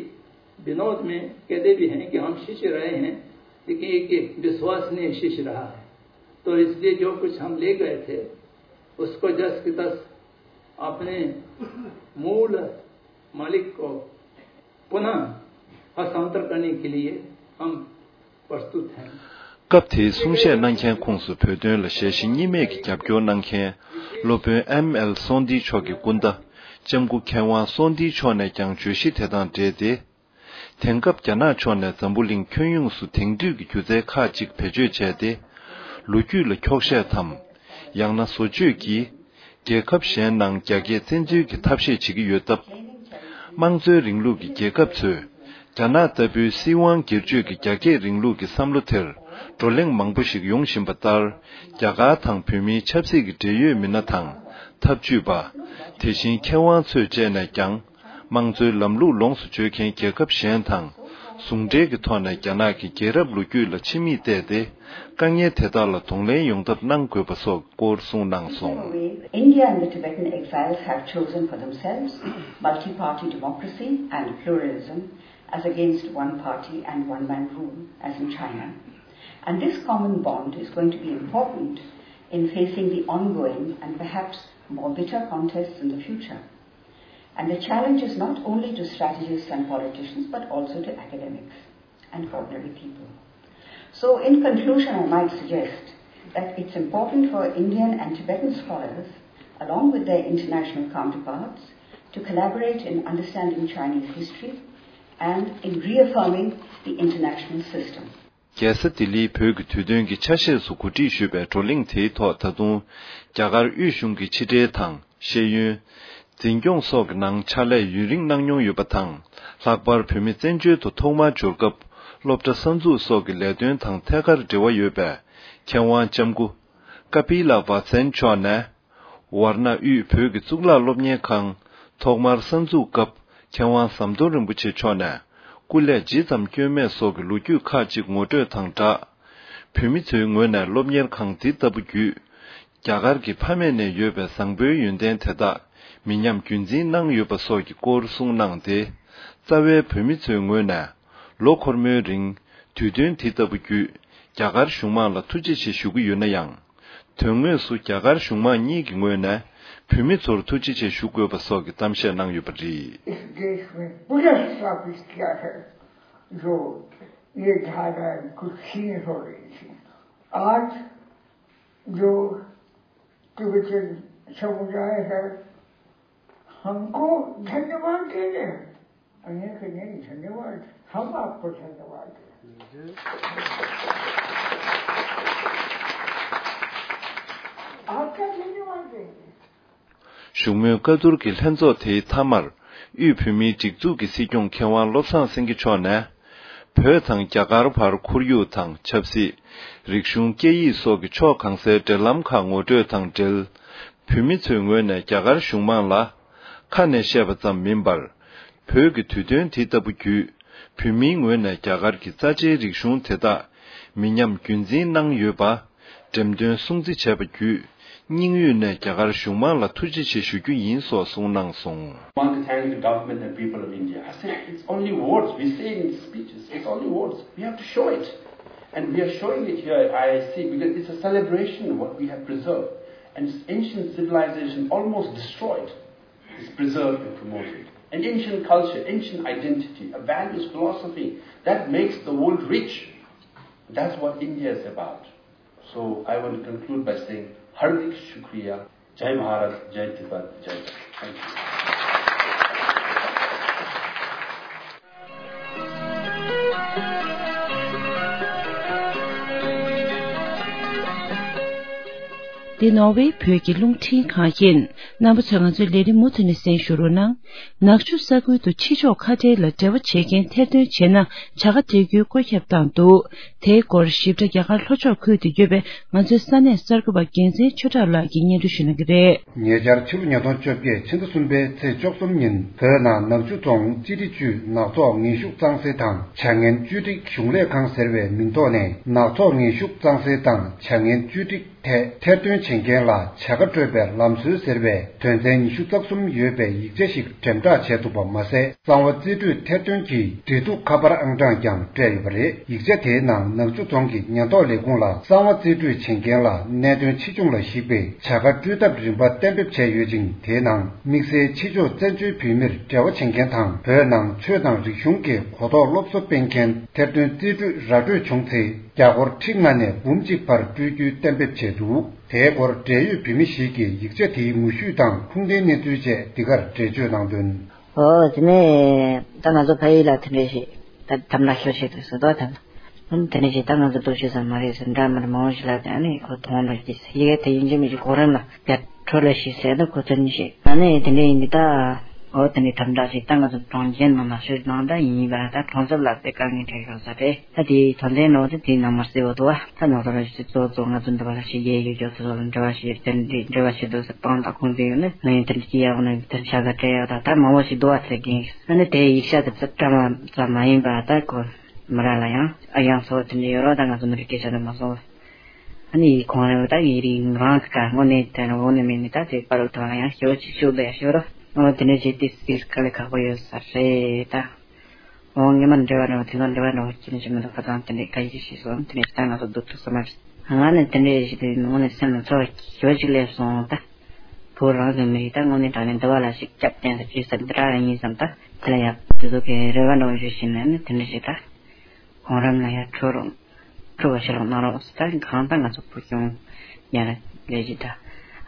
विनोद में कहते भी हैं कि हम शिष्य रहे हैं, लेकिन एक विश्वसनीय शिष्य रहा है। तो इसलिए जो कुछ हम ले गए थे, उसको जस की तस अपने मूल मालिक को पुनः हस्तांतर करने के लिए हम प्रस्तुत हैं। སྐབས་དེའི་གསུང་བཤད་གནང་མཁན་ཁོངས་སུ་བོད་དོན་ལ་ཞལ་བཞེས་གཉིས་མེད་ཀྱི་རྒྱབ་སྐྱོར་གནང་མཁན་སློབ་དཔོན་ཨེམ་ཨེལ་སོང་ཏི་མཆོག་གི་སྐུ་ཟླ་ལྕམ་སྐུ་མཁས་དབང་སོང་ཏི་མཆོག་ནས་ཀྱང་བརྗོད་གཞི་དེ་དང་འབྲེལ་ཏེ། དེང་སྐབས་རྒྱ་ནག་ཕྱོགས་ནས་འཛམ་བུ་གླིང་ཁྱོན་ཡོངས་སུ་དེང་དུས་ཀྱི་སྒྱུ་རྩལ་ཁག་ཅིག་བེད་སྤྱོད་བྱས་ཏེ། ལོ་རྒྱུས་ལ་འཁྱོག་བཤད་དམ། ཡང་ན་བཟོ་བཅོས་ཀྱིས། རྒྱལ་ཁབ་གཞན་ནང་རྒྱ་སྐད་བཙན་འཛུལ་གྱི་ཐབས་ཤེས་བྱེད་ཀྱི་ཡོད་སྟབས། དམངས་གཙོའི་རིང་ལུགས་ཀྱི་རྒྱལ་ཁབ་ཚོས། རྒྱ་ནག་ལྟ་བུའི་སྲིད་དབང་སྒེར་གཅོད་ཀྱི་རྒྱ་སྐྱེད་རིང་ལུགས་ཀྱི་བསམ་བློ་དེར་བགྲོ་གླེང་མང་པོ་ཞིག་ཡོང་བཞིན་པ་ལྟར། རྒྱ་གར་དང་བོད་མིའི་ཆབ་སྲིད་ཀྱི་འབྲེལ་ཡོད་མི་སྣ་དང་། ཐབས་ཇུས་པ། དེ་བཞིན་མཁས་དབང་ཚོས་བཅས་ནས་ཀྱང་། དམངས་གཙོའི་ལམ་ལུགས་ལོངས་སུ་སྤྱོད་མཁན་རྒྱལ་ཁབ་གཞན་དང་། ཟུང་འབྲེལ་གྱི་ཐོག་ནས་རྒྱ་ནག་གི་རྒྱལ་རབས་ལོ་རྒྱུས་ལ་ཕྱི་མིག་བལྟས་ཏེ། དཀའ་ངལ་དེ་དག་ལ་གདོང་ལེན་ཡོང་ཐབས་གནང་དགོས་པ་སོགས་སྐོར་གསུངས་གནང་སོང་། India and the Tibetan exiles have chosen for themselves multi-party democracy and pluralism as against one-party and one-man rule as in China. And this common bond is going to be important in facing the ongoing and perhaps more bitter contests in the future. And the challenge is not only to strategists and politicians, but also to academics and ordinary people. So, in conclusion, I might suggest that it's important for Indian and Tibetan scholars, along with their international counterparts, to collaborate in understanding Chinese history and in reaffirming the international system. རྒྱལ་ས་ལྡི་ལིའི་བོད་ཀྱི་དུས་སྟོན་གྱི་ཆ་ཤས་སུ་གོ་སྒྲིག་ཞུས་པའི་བགྲོ་གླེང་དེའི་ཐོག་ད་དུང་རྒྱ་གར་དབུས་གཞུང་གི་ཕྱི་འབྲེལ་དང་ཤེས་ཡོན། འཛིན་སྐྱོང་སོགས་ཀྱི་ནང་ཕྱག་ལས་ཡུན་རིང་གནང་མྱོང་ཡོད་པ་དང་། ལྷག་པར་བོད་མི་བཙན་བྱོལ་དུ་ཐོག་མར་འབྱོར་སྐབས་སློབ་གྲྭ་གསར་འཛུགས་སོགས་ཀྱི་ལས་དོན་དང་ཐད་ཀར་འབྲེལ་བ་ཡོད་པའི་མཁས་དབང་ལྕམ་སྐུ་ཀ་པི་ལ་བ་སན་མཆོག་ནས། ཝར་ན་དབུས་བོད་ཀྱི་གཙུག་ལག་སློབ་གཉེར་ཁང་ཐོག་མར་གསར་འཛུགས་སྐབས་མཁས་དབང་ཟམ་གདོང་རིན་པོ་ཆེ་མཆོག་ནས་སྐུ་ལས་ཇི་ཙམ་བསྐྱོན་མེད་སོགས་ཀྱི་ལོ་རྒྱུས་ཁག་ཅིག་ངོ་སྤྲོད་དང་སྦྲགས། བོད་མི་ཚོའི་ངོས་ནས་སློབ་གཉེར་ཁང་འདི་ལྟ་བུ་བརྒྱུད། རྒྱ་གར་གྱི་ཕ་མེས་ནས་ཡོད་པའི་བཟང་པོའི་ཡོན་ཏན་དེ་དག་མི་ཉམས་རྒྱུན་འཛིན་གནང་ཡོད་པ་སོགས་ཀྱི་སྐོར་གསུངས་གནང་སྟེ། རྩ་བའི་བོད་མི་ཚོའི་ངོས་ནས། ལོ་འཁོར་མོའི་རིང་དུས་སྟོན་འདི་ལྟ་བུ་བརྒྱུད་རྒྱ་གར་གཞུང་མང་ལ་ཐུགས་རྗེ་ཆེ་ཞུ་གི་ཡོད་ན་ཡང་། དོན་དངོས་སུ་རྒྱ་གར་གཞུང་མང་གཉིས་ཀྱི་ངོས་ནས་བོད་མི་ཚོར་ཐུགས་རྗེ་ཆེ་ཞུ་དགོས་པ་སོགས་ཀྱི་གཏམ་བཤད་གནང་ཡོད་པ་རེད། इस देश में पूरा स्थापित किया है, जो ये धाराएं कुछ सीमित हो रही थी। आज जो तिब्बतन समुदाय है, हमको धन्यवाद दे रहे हैं। अनेक अनेक धन्यवाद। हम आपको धन्यवाद दें। आपका धन्यवाद देंगे। བཞུགས་མོལ་བཀའ་བསྡུར་གྱི་ལྷན་ཚོགས་དེའི་མཐའ་མར། དབུས་བོད་མིའི་སྒྲིག་འཛུགས་ཀྱི་སྲིད་སྐྱོང་མཁས་དབང་བློ་བཟང་སེང་གེ་མཆོག་ནས། བོད་དང་རྒྱ་གར་བར་ཁོར་ཡུག་དང་ཆབ་སྲིད། རིག་གཞུང་། སྐད་ཡིག་སོགས་ཀྱི་ཕྱོགས་གང་སའི་འབྲེལ་ལམ་ཁག་ངོ་སྤྲོད་དང་འབྲེལ། བོད་མི་ཚོའི་ངོས་ནས་རྒྱ་གར་གཞུང་མང་ལ། ཁ་ནས་བཤད་པ་ཙམ་མིན་པར། བོད་ཀྱི་དུས་སྟོན་དེ་ལྟ་བུ་བརྒྱུད། བོད་མིའི་ངོས་ནས་རྒྱ་གར་གྱི་རྩ་ཆེའི་རིག་གཞུང་དེ་དག་མི་ཉམས་རྒྱུན་འཛིན་གནང་ཡོད་པ། འགྲེམས་སྟོན་སྲུང་བརྩི་བྱས་པ་བརྒྱུད། སྙིང་དབུས་ནས་རྒྱ་གར་གཞུང་མང་ལ་ཐུགས་རྗེ་ཆེ་ཞུ་རྒྱུ་ཡིན་སོགས་གསུངས་གནང་སོང་། I want to thank the government and people of India. I said, it's only words. We say in speeches, it's only words. We have to show it. And we are showing it here at I I C because it's a celebration of what we have preserved. And it's ancient civilization almost destroyed. Is preserved and promoted. An ancient culture, ancient identity, a values philosophy that makes the world rich. That's what India is about. So I want to conclude by saying, हार्दिक शुक्रिया। जय भारत, जय तिब्बत, जय Bharat. Thank you. འདི་ནོར་ཝེ་བོད་ཀྱི་རླུང་འཕྲིན་ཁང་ཡིན། རྣམ་པ་ཚོས་ང་ཚོའི་ལས་རིམ་མུ་མཐུད་ནས་གསན་ཞུ་རོགས་གནང་། ནག་ཆུ་ས་ཁུལ་དུ་ཕྱི་ཕྱོགས་ཁ་བྲལ་ལ་འབྲེལ་བ་བྱེད་མཁན་ཐེར་འདོན་བྱས་ན་བྱ་དགའ་སྤྲད་རྒྱུའི་བཀོད་ཁྱབ་བཏང་འདུག་དེའི་སྐོར་ཞིབ་ཕྲ་རྒྱ་གར་ལྷོ་ཕྱོགས་ཁུལ་དུ་ཡོད་པའི་ང་ཚོའི་ས་གནས་གསར་འགོད་པ་རྒྱལ་མཚན་ཆོས་གྲགས་ལགས་ཀྱིས་སྙན་སྒྲོན་ཞུ་གནང་གི་རེད། ཉེ་ཆར་ཕྱི་ལོ་ཉིས་སྟོང་བཅོ་བརྒྱད་ཕྱི་ཟླ་གསུམ་པའི་ཚེས་བཅུ་གསུམ་ཉིན་བོད་ནང་ནག་ཆུ་རྫོང་སྤྱི་བདེ་ཅུས་ནག་ཚོགས་ངན་ཞུགས་གཙང་སེལ་དང་བྱ་ངན་བཅོས་སྒྲིག་གཞུང་ལས་ཁང་ཟེར་བའི་མིང་ཐོག་ནས་ནག་ཚོགས་ངན་ཞུགས་གཙང་སེལ་དང་བྱ་ངན་བཅོས་སྒྲིག་ཐད་ཐེར་འདོན་བྱེད་མཁན་ལ་བྱ་དགའ་སྤྲོད་པའི་ལམ་སྲོལ་ཟེར་བའི་དོན་ཚན་ཉི་ཤུ་རྩ་གསུམ་ཡོད་པའི་ཡིག་ཆ་ཞིག་འགྲེམས་བསྒྲགས་བྱས་འདུག་པ་མ་ཟད། གསང་བ་རྩིས་སྤྲོད་ཐེར་འདོན་གྱི་འབྲེལ་གཏུག་ཁ་པར་ཨང་གྲངས་ཀྱང་སྤྲད་ཡོད་པ་རེད། ཡིག་ཆ་དེའི་ནང་ནག་ཆུ་རྫོང་གི་ཉེན་རྟོག་ལས་ཁུངས་ལ་གསང་བ་རྩིས་སྤྲོད་བྱེད་མཁན་ལ་གནད་དོན་ཆེ་ཆུང་ལ་གཞིགས་པའི་བྱ་དགའ་སྤྲོད་ཐབས་རིམ་པ་གཏན་འབེབས་བྱས་ཡོད་ཅིང་། དེའི་ནང་དམིགས་བསལ་ཕྱི་ཕྱོགས་བཙན་བྱོལ་བོད་མིར་འབྲེལ་བ་བྱེད་མཁན་དང་། བོད་ནང་ཆོས་དང་རིག་གཞུང་གི་གོ་རྟོགས་སློབ་གསོ་སྤེལ་མཁན་ཐེར་འདོན་རྩིས་སྤྲོད་ར་སྤྲོད་བྱུང་ཚེ། རྒྱ་སྒོར་ཁྲི་ལྔ་ནས་འབུམ་གཅིག་བར་སྤྲོད་རྒྱུའི་གཏན་འབེབས་བྱས་འདུག་དེའི་སྐོར་འབྲེལ་ཡོད་བོད་མི་ཞིག་གིས་ཡིག་ཆ་དེའི་ངོ་བཤུས་དང་ཁུངས་ལྡན་གནས་ཚུལ་བཅས་འདི་གར་འགྲེལ་བརྗོད་གནང་དོན། ཨོ་དེ་ནས་ད་ང་ཚོ་ཕ་ཡུལ་ལ་དེ་འདྲས་ཞིག་ད་དམ་དྲག་ཤོར་ཆེད་དུ་ཟེར་དོ་ད་ད་དེ་འདྲས་ཞིག་ད་ང་ཚོ་སྟོབས་ཤུགས་ཙམ་མ་རེད་ཟེར་འདྲ་མི་འདྲ་མང་པོ་ཞིག་ལབ་དེ། ཨ་ནི་ཁོ་མཐོང་འགྲོ་གི་ཡི་གེ་དེ་ཡིན་གཅིག་མིན་གཅིག་གོ་རིམ་ལ་བརྒྱ་འཕྲོ་ལ་ཞིག་ཟེར་ན་ཁོ་ཚོ་གཉིས་ཤིག་ཨ་ནི་དེ་འདྲས་ཡིན་འདི་ད། ཨོ་དེ་ནས་དམ་དྲག་ཅིག་ད་ང་ཚོ་གྲོང་ཁྱེར་ནང་ལ་ཤོད་ནང་ད་ཡིན་པ་ད་གྲོང་གསེབ་ལ་དཔེ་དཀའ་ངལ་འཕྲད་ཡོད་ས་རེད། ད་དེའི་དོན་ཚན་ནང་དེ་དེའི་ནང་མ་གསལ་བོ་འདུག་བ། ད་ནང་ཚོ་རང་ཞིག་གཙོ་གཙོ་ང་ཚོ་འདི་བ་ལ་ཞིག་རྒྱལ་ཡོད་ཀྱོག་དེ་ཚོ་ལ་འབྲེལ་བ་ཞིག་དེ་འདྲའི་འབྲེལ་བ་ཞིག་འདུག་ཟེར་སྤང་དང་ཁུངས་འདུག་ཡོད་ནི་ང་ཡིན་དེ་འདྲ་ཅི་ཡག་ནི་དེ་ཤ་ག་སྤྲད་ཡག་ད་ད་མང་བོ་ཞིག་འདུག་བ་ཟེར་གིན། ཨ་ནི་དེའི་ཡིག་ཤ་དེ་ཚོ་བཀྲ་མ་ཙམ་མ་ཡིན་པ་ད་ཁོ་མི་ར་ལ་ཡང་ཨ་ཡང་ཚོ་དེ་འདྲ་ཡོད་རོགས། ད་ང་ཚོ་མི་རིགས་སྐད་ཆ་དེ་མ་སོང་བ། ཨ་ནི་ཁོང་རང་ད་ཡིན་རིང་རང་གི་ཀ་དངོས་གནས་དེ་དངོས་གནས་མིན་ནི་ད་དེ་པ་རུ་ཐོན་ཡང་ཞོ་ཅི་ཞུ་ལ་ཡང་ཞོ་རོ། ཨོ་དེ་ནས་ཇེ་ཏི་སིས་དཀའ་ལས་ཁག་པོ་ཡོད་ས་རེད་ད། ཨོ་ངེས་མ་འབྲེལ་བ་རེད་བ། དེ་ཚོ་འབྲེལ་བ་འདྲ་བོ་ཅི་ནས་ཅི་མི་འདུག་ཁ་ཚང་དེ་འདྲས་ཁ་ཡིག་ཤེས་སོང་། དེ་ནས་ད་ང་ཚོ་སྡུག་ཐུག་ས་མ་རེད། ང་ནི་དེ་འདྲས་ཞིག་དེ་དངོས་གནས་སེམས་ལ་ཚོར་བ་ཞོ་ཅིག་སླེབས་སོང་ད། བོད་རང་གི་མི་རིགས་ད་དངོས་གནས་དྲང་གནས་འདི་བ་ལ་ཞིག་སྐྱབས་བསྟན་ས་ཅི་ཟེར་འདི་ར་རང་ཡིན་བསམ་ད། དེ་ལ་ཡག་དེ་ཚོ་གི་རེ་བ་འདྲ་བོ་ཞིག་བྱས་ནས་ནི་དེ་འདྲས་ཞིག་ད། གོང་རིམ་ལ་ཡང་འཕྲོད་རོགས། འཕྲོད་པ་ཞིག་རོགས་གནང་རོགས་ཟེར་ད་གང་ལྟར་ང་ཚོ་བོད་གཞུང་ཡང་ལས་ཀྱི་ད།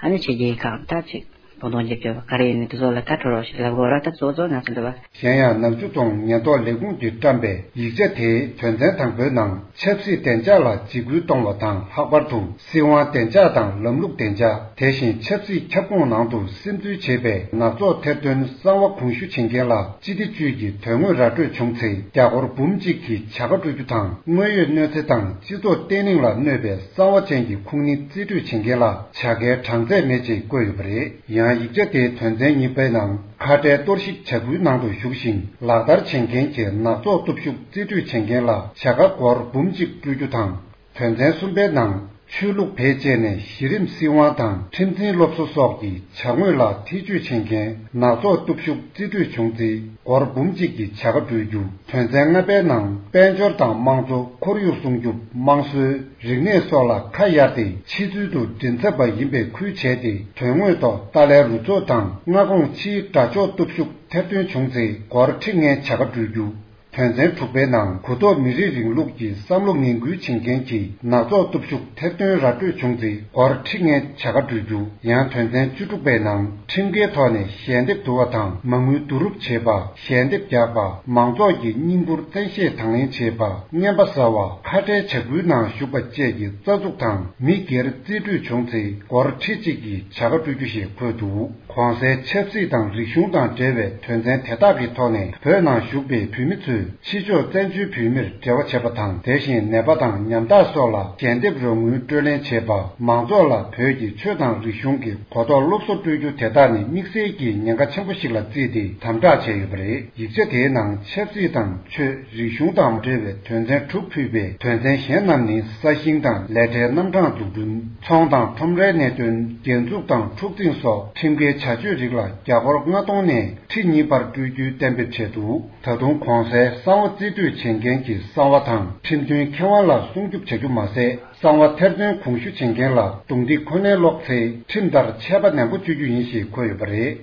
ཨ་ནི་ཕྱི་རྒྱལ་ཁག་ད་ཅིག་བོད་དོན་རྒྱབ་སྐྱོར་བ་ག་རེ་ཡིན་ནི་དེ་ཚོ་ལ་ད་འཕྲོད་རོགས་ཞིག་ལབ་དགོས་ར་ད་གཙོ་གཙོ་ང་ཚོ་འདི་བ། གཞན་ཡང་ནག་ཆུ་རྫོང་ཉེན་རྟོག་ལས་ཁུངས་ཀྱིས་བཀྲམ་པའི་ཡིག་ཆ་དེའི་དོན་ཚན་དང་པོའི་ནང་ཆབ་སྲིད་བདེ་འཇགས་ལ་འཇིགས་སྐུལ་གཏོང་བ་དང་ལྷག་པར་དུ། སྲིད་དབང་བདེ་འཇགས་དང་ལམ་ལུགས་བདེ་འཇགས། དེ་བཞིན་ཆབ་སྲིད་ཁྱབ་ཁོངས་ནང་དུ་སིམ་འཛུལ་བྱས་པའི་ནག་ཚོགས་ཐེར་འདོན་གསང་བ་གོང་ཞུ་བྱེད་མཁན་ལ་སྤྱི་བདེ་ཅུས་ཀྱི་དོན་དངོས་ར་སྤྲོད་བྱུང་ཚེ་རྒྱ་སྒོར་འབུམ་གཅིག་གི་བྱ་དགའ་སྤྲོད་རྒྱུ་དང་། དངོས་ཡོད་གནོད་འཚེ་དང་སྤྱི་ཚོགས་བརྟན་ལྷིང་ལ་གནོད་པའི་གསང་བ་ཅན་གྱི་ཁུངས་སྣེ་རྩིས་སྤྲོད་བྱེད་མཁན་ལ་བྱ་དགའི་གྲངས་ཚད་མེད་ཅེས་བཀོད་ཡོད་པ་རེད། ཡང་ཡིག་ཆ་དེའི་དོན་ཚན་གཉིས་པའི་ནང་། ཁ་བྲལ་གཏོར་བཤིག་བྱ་འགུལ་ནང་དུ་ཞུགས་ཤིང་ལག་བསྟར་བྱེད་མཁན་གྱི་ནག་ཚོགས་སྟོབས་ཤུགས་རྩིས་སྤྲོད་བྱེད་མཁན་ལ་བྱ་དགའ་སྒོར་འབུམ་གཅིག་སྤྲོད་རྒྱུ་དང་། དོན་ཚན་གསུམ་པའི་ནང་ཆོས་ལུགས་བེད་སྤྱད་ནས་གཞི་རིམ་སྲིད་དབང་དང་ཁྲིམས་འཛིན་སློབ་གསོ་སོགས་ཀྱི་བྱ་དངོས་ལ་ཐེ་ཇུས་བྱེད་མཁན་ནག་ཚོགས་སྟོབས་ཤུགས་རྩིས་སྤྲོད་བྱུང་ཚེ་སྒོར་འབུམ་གཅིག་གི་བྱ་དགའ་སྤྲོད་རྒྱུ། དོན་ཚན་ལྔ་པའི་ནང་དཔལ་འབྱོར་དང་དམངས་གཙོ། ཁོར་ཡུག་སྲུང་སྐྱོབ། དམངས་སྲོལ། རིག་གནས་སོགས་ལ་ཁ་གཡར་ཏེ་ཕྱི་ཚུལ་དུ་མགྲིན་ཚབ་པ་ཡིན་པའི་ཁུལ་བྱས་ཏེ་དོན་དངོས་ཐོག་ཏཱ་ལའི་རུ་ཚོགས་དང་མངའ་ཁོངས་ཕྱིའི་དགྲ་ཕྱོགས་སྟོབས་ཤུགས་ཐེར་འདོན་བྱུང་ཚེ་སྒོར་ཁྲི་ལྔའི་བྱ་དགའ་སྤྲོད་རྒྱུ། དོན་ཚན་དྲུག་པའི་ནང་གུ་དོག་མི་རིགས་རིང་ལུགས་ཀྱི་བསམ་བློ་ངན་སྐུལ་བྱེད་མཁན་གྱི་ནག་ཚོགས་སྟོབས་ཤུགས་ཐེར་འདོན་ར་སྤྲོད་བྱུང་ཚེ་སྒོར་ཁྲི་ལྔའི་བྱ་དགའ་སྤྲོད་རྒྱུ། ཡང་དོན་ཚན་བཅུ་དྲུག་པའི་ནང་ཁྲིམས་འགལ་ཐོག་ནས་ཞལ་འདེབས་བསྡུ་བ་དང་མ་དངུལ་བསྡུ་རུབ་བྱེད་པ། ཞལ་འདེབས་རྒྱག་པ། མང་ཚོགས་ཀྱི་བརྙན་བཀུར་བཙན་ཤེད་དང་ལེན་བྱེད་པ། རྔན་པ་ཟ་བ། ཁ་བྲལ་བྱ་འགུལ་ནང་ཞུགས་པ་བཅས་ཀྱི་རྩ་འཛུགས་དང་མི་སྒེར་རྩིས་སྤྲོད་བྱུང་ཚེ་སྒོར་ཁྲི་གཅིག་གི་བྱ་དགའ་སྤྲོད་རྒྱུ་ཞེས་འཁོད་འདུག་གོང་གསལ་ཆབ་སྲིད་དང་རིག་གཞུང་དང་འབྲེལ་བའི་དོན་ཚན་དེ་དག་གི་ཐོག་ནས་བོད་ནང་བཞུགས་པའི་བོད་མི་ཚོས་ཕྱི་ཕྱོགས་བཙན་བྱོལ་བོད་མིར་འབྲེལ་བ་བྱེད་པ་དང་། དེ་བཞིན་ནད་པ་དང་ཉམ་ཐག་སོགས་ལ་ཞལ་འདེབས་རོགས་དངུལ་སྤྲོད་ལེན་བྱེད་པ། མང་ཚོགས་ལ་བོད་ཀྱི་ཆོས་དང་རིག་གཞུང་གི་གོ་རྟོགས་སློབ་གསོ་སྤྲོད་རྒྱུ་དེ་དག་ནི་དམིགས་བསལ་གྱི་ཉེན་ཁ་ཆེན་པོ་ཞིག་ལ་བརྩིས་ཏེ་དམ་དྲག་བྱས་ཡོད་པ་རེད། ཡིག་ཆ་དེའི་ནང་ཆབ་སྲིད་དང་ཆོས་རིག་གཞུང་དང་འབྲེལ་བའི་དོན་ཚན་དྲུག་ཕུད་པའི་དོན་ཚན་གཞན་རྣམས་ནི་ས་ཞིང་དང་ལས་གྲྭའི་རྣམ་གྲངས་འཛུགས་སྐྲུན། ཚོང་དང་ཁྲོམ་རའི་གནད་དོན། རྒྱན་འཛུགས་དང་འཁྲུག་འཛིང་སོགས་ཁྲིམས་འགལ་བྱ་སྤྱོད་རིགས་ལ་རྒྱ་སྒོར་ལྔ་སྟོང་ནས་ཁྲི་གཉིས་བར་སྤྲོད་རྒྱུའི་གཏན་འབེབས་བྱས་འདུག་ད་དུང་གོང་གསལ་གསང་བ་རྩིས་སྤྲོད་བྱེད་མཁན་གྱི་གསང་བ་དང་ཁྲིམས་མཐུན་ཁེ་དབང་ལ་སྲུང་སྐྱོབ་བྱ་རྒྱུ་མ་ཟད། གསང་བ་ཐེར་འདོན་གོང་ཞུ་བྱེད་མཁན་ལ་རྡུང་རྡེག་ཁོ་ནའི་སློག་ཚེ་ཁྲིམས་ལྟར་ཆད་པ་ནན་པོ་གཅོད་རྒྱུ་ཡིན་ཞེས་འཁོད་ཡོད་པ་རེད།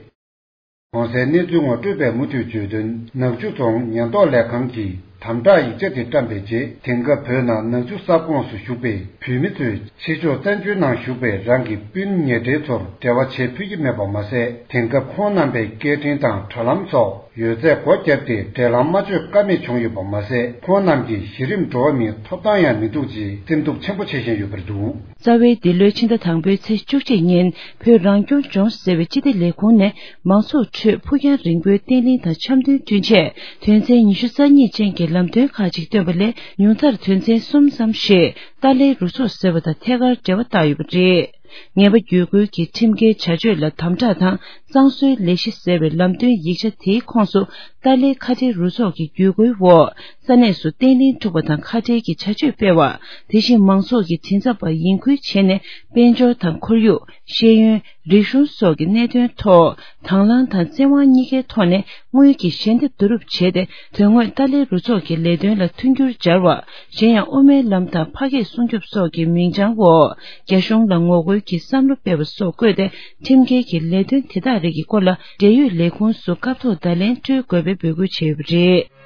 གོང་གསལ་གནས་ཚུལ་ངོ་སྤྲོད་པས་མུ་མཐུད་བརྗོད་དོན། ནག་ཆུ་རྫོང་ཉེན་རྟོག་ལས་ཁང་གིས་དམ་དྲག་ཡིག་ཆ་དེ་བཀྲམ་པའི་རྗེས། དེང་སྐབས་བོད་ནང་ནག་ཆུ་གསར་ཁོངས་སུ་བཞུགས་པའི་བོད་མི་ཚོས་ཕྱི་ཕྱོགས་བཙན་བྱོལ་ནང་བཞུགས་པའི་རང་གི་སྤུན་ཉེ་འབྲེལ་ཚོར་འབྲེལ་བ་བྱེད་ཕོད་ཀྱི་མེད་པ་མ་ཟད། དེང་སྐབས་ཁོང་རྣམ་པའི་སྐད་འཕྲིན་དང་དྲ་ལམ་སོགས། ཡོད་ཚད་སྒོ་བརྒྱབ་སྟེ་འབྲེལ་ལམ་མ་བཅོས་ཀ་མེད་བྱུང་ཡོད་པ་མ་ཟད། ཁོང་རྣམས་ཀྱིས་གཞི་རིམ་འགྲོ་བ་མིའི་ཐོབ་ཐང་ཡང་མི་ཐུག་ཅེས་སེམས་སྡུག་ཆེན་པོ་བྱེད་བཞིན་ཡོད་པ་རེད་འདུག། རྩ་བའི་འདི་ལོའི་ཕྱི་ཟླ་དང་པོའི་ཚེས་བཅུ་གཅིག་ཉིན། བོད་རང་སྐྱོང་ལྗོངས་ཟེར་བའི་སྤྱི་བདེ་ལས་ཁུངས་ནས་མང་ཚོགས་ཁྲོད་ཕུགས་རྒྱང་རིང་པོའི་བརྟན་ལྷིང་དང་འཆམ་མཐུན་བསྐྲུན་ཆེད། དོན་ཚན་ཉི་ཤུ་རྩ་གཉིས་ཅན་གྱི་ལམ་སྟོན་ཁག་ཅིག་བཏོན་པ་ལས། ཉུང་མཐར་དོན་ཚན་གསུམ་ཙམ་ཞིག་ཏཱ་ལའི་རུ་ཚོགས་ཟེར་བ་དང་ཐད་ཀར་འབྲེལ་བ་བཏགས་ཡོད་པ་རེད། ངེས་པ་བརྒྱུད་སྐུལ་གྱི་ཁྲིམས་འགལ་བྱ་སྤྱོད་ལ་དམ་དྲག་དང་གཙང་བཟོའི་ལས་གཞི་ཟེར་བའི་ལམ་སྟོན་ཡིག་ཆ་དེའི་ཁོངས་སུ། ཏཱ་ལའི་ཁ་བྲལ་རུ་ཚོགས་ཀྱི་བརྒྱུད་སྐུལ་འོག་ས་གནས་སུ་བརྟན་ལྷིང་འཁྲུག་པ་དང་ཁ་བྲལ་གྱི་བྱ་སྤྱོད་སྤེལ་བ། དེ་བཞིན་མང་ཚོགས་ཀྱི་མགྲིན་ཚབ་པ་ཡིན་ཁུལ་བྱས་ནས་དཔལ་འབྱོར་དང་ཁོར་ཡུག་ཤེས་ཡོན། རིག་གཞུང་སོགས་ཀྱི་གནད་དོན་ཐོག་དང་བླངས་དང་བཙན་དབང་གཉིས་ཀའི་ཐོག་ནས་དངུལ་གྱི་ཞལ་འདེབས་བསྡུ་རུབ་བྱས་ཏེ། དོན་དངོས་ཏཱ་ལའི་རུ་ཚོགས་ཀྱི་ལས་དོན་ལ་མཐུན་འགྱུར་སྦྱར་བ། གཞན་ཡང་དབུ་མའི་ལམ་དང་ཕ་སྐད་སྲུང་སྐྱོབ་སོགས་ཀྱི་མིང་བྱང་འོག་རྒྱ་གཞུང་ལ་ངོ་རྒོལ་གྱི་བསམ་བློ་སྤེལ་བ་སོགས་བཀོད་དེ། ཁྲིམས་འགལ་གྱི་ལས་དོན་དེ་དག་རིགས་ཀྱི་སྐོར་ལ་འབྲེལ་ཡོད་ལས་ཁུངས་སུ་སྐབས་ཐོག་བརྡ་ལན་སྤྲོད་དགོས་པའི་འབོད་སྐུལ་བྱས་ཡོད་པ་རེད།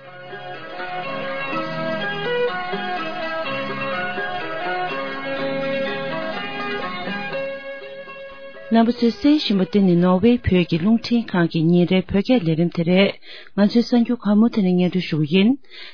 རྣམ་པ་ཚོས་གསན་བཞིན་པ་འདི་ནི་ནོར་ཝེ་བོད་ཀྱི་རླུང་འཕྲིན་ཁང་གི་ཉིན་རེའི་བོད་སྐད་ལས་རིམ་དེ་རེད། ང་ཚོའི་གསར་འགྱུར་ཁག་མུ་མཐུད་ནས་སྙན་སྒྲོན་ཞུ་གི་ཡིན།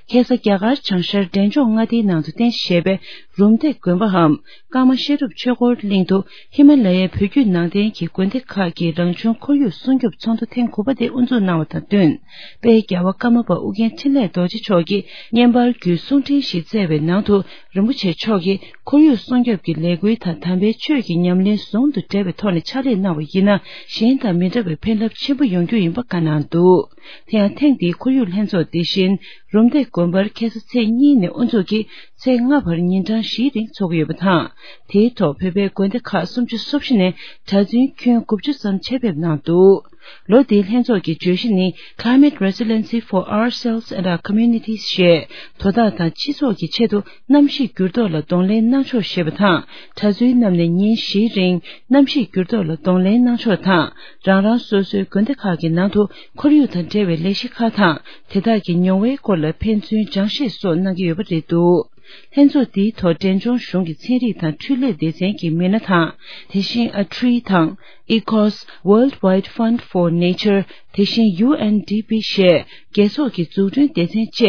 ཁ་སང་རྒྱ་གར་བྱང་ཤར་འབྲས་ལྗོངས་མངའ་སྡེའི་ནང་དུ་རྟེན་གཞི་བྱས་པའི་རུམ་བཏེག་དགོན་པའམ་ཀརྨ་བཤད་སྒྲུབ་ཆོས་འཁོར་གླིང་དུ། ཧི་མ་ལ་ཡའི་བོད་བརྒྱུད་ནང་བསྟན་གྱི་དགོན་སྡེ་ཁག་གི་རང་བྱུང་ཁོར་ཡུག་སྲུང་སྐྱོབ་ཚོགས་འདུ་ཐེངས་དགུ་པ་དེ་དབུ་འཛུགས་གནང་བ་དང་བསྟུན། དཔལ་རྒྱལ་བ་ཀརྨ་པ་ཨུ་རྒྱན་འཕྲིན་ལས་རྡོ་རྗེ་མཆོག་གིས་བརྙན་པར་བརྒྱུད་གསུང་འཕྲིན་ཞིག་བསྩལ་བའི་ནང་དུ། རིན་པོ་ཆེ་མཆོག་གིས་ཁོར་ཡུག་སྲུང་སྐྱོབ་ཀྱི་ལས་འགུལ་དང་དམ་པའི་ཆོས་ཀྱི་ཉམས་ལེན་ཟུང་དུ་འབྲེལ་བའི་ཐོག་ནས་ཕྱག་ལས་གནང་བ་ཡིན་ན། གཞན་དང་མི་འདྲ་བའི་ཕན་རླབས་ཆེན་པོ་ཡོང་རྒྱུ་ཡིན་པ་བཀའ་གནང་འདུག། དེ་ཡང་ཐེངས་འདིའི་ཁོར་ཡུག་ལྷན་ཚོགས་དེ་བཞིན་རུམ་བཏེག་དགོན་པར་ཁ་སང་ཚེས་གཉིས་ནས་དབུ་འཛུགས་ཀྱིས་ཚེས་ལྔ་བར་ཉིན་གྲངས་བཞིའི་རིང་འཚོགས་ཀྱི་ཡོད་པ་དང་། དེའི་ཐོག་བོད་པའི་དགོན་སྡེ་ཁག་སུམ་ཅུ་སོ་བཞི་ནས་གྲྭ་བཙུན་ཁྱོན་དགུ་བཅུ་ཙམ་ཆེད་ཕེབས་གནང་འདུག། ལོ་འདིའི་ལྷན་ཚོགས་ཀྱི་བརྗོད་གཞི་ནི། Climate Resiliency for Ourselves and Our Communities ཞེས། དོ་བདག་དང་སྤྱི་ཚོགས་ཀྱི་ཆེད་དུ་གནམ་གཤིས་འགྱུར་ལྡོག་ལ་གདོང་ལེན་གནང་ཕྱོགས་ཞེས་པ་དང་། གྲྭ་བཙུན་རྣམས་ནས་ཉིན་བཞིའི་རིང་གནམ་གཤིས་འགྱུར་ལྡོག་ལ་གདོང་ལེན་གནང་ཕྱོགས་དང་། རང་རང་སོ་སོའི་དགོན་སྡེ་ཁག་གི་ནང་དུ་ཁོར་ཡུག་དང་འབྲེལ་བའི་ལས་གཞི་ཁག་དང་། དེ་དག་གི་མྱོང་བའི་སྐོར་ལ་ཕན་ཚུན་སྦྱང་བཤད་སོགས་གནང་གི་ཡོད་པ་རེད་འདུག། ལྷན་ཚོགས་འདིའི་ཐོག་འབྲས་ལྗོངས་གཞུང་གི་ཚན་རིག་དང་འཕྲུལ་ལས་སྡེ་ཚན་གྱི་མི་སྣ་དང་། དེ་བཞིན་ཨ་ཁྲི་དང་། ཨི་ཀོས། World Wide Fund for Nature། དེ་བཞིན་ཡུ་ཨེན་ཌི་པི་ཞེས་རྒྱལ་ཚོགས་ཀྱི་འཛུགས་སྐྲུན་སྡེ་ཚན་བཅས་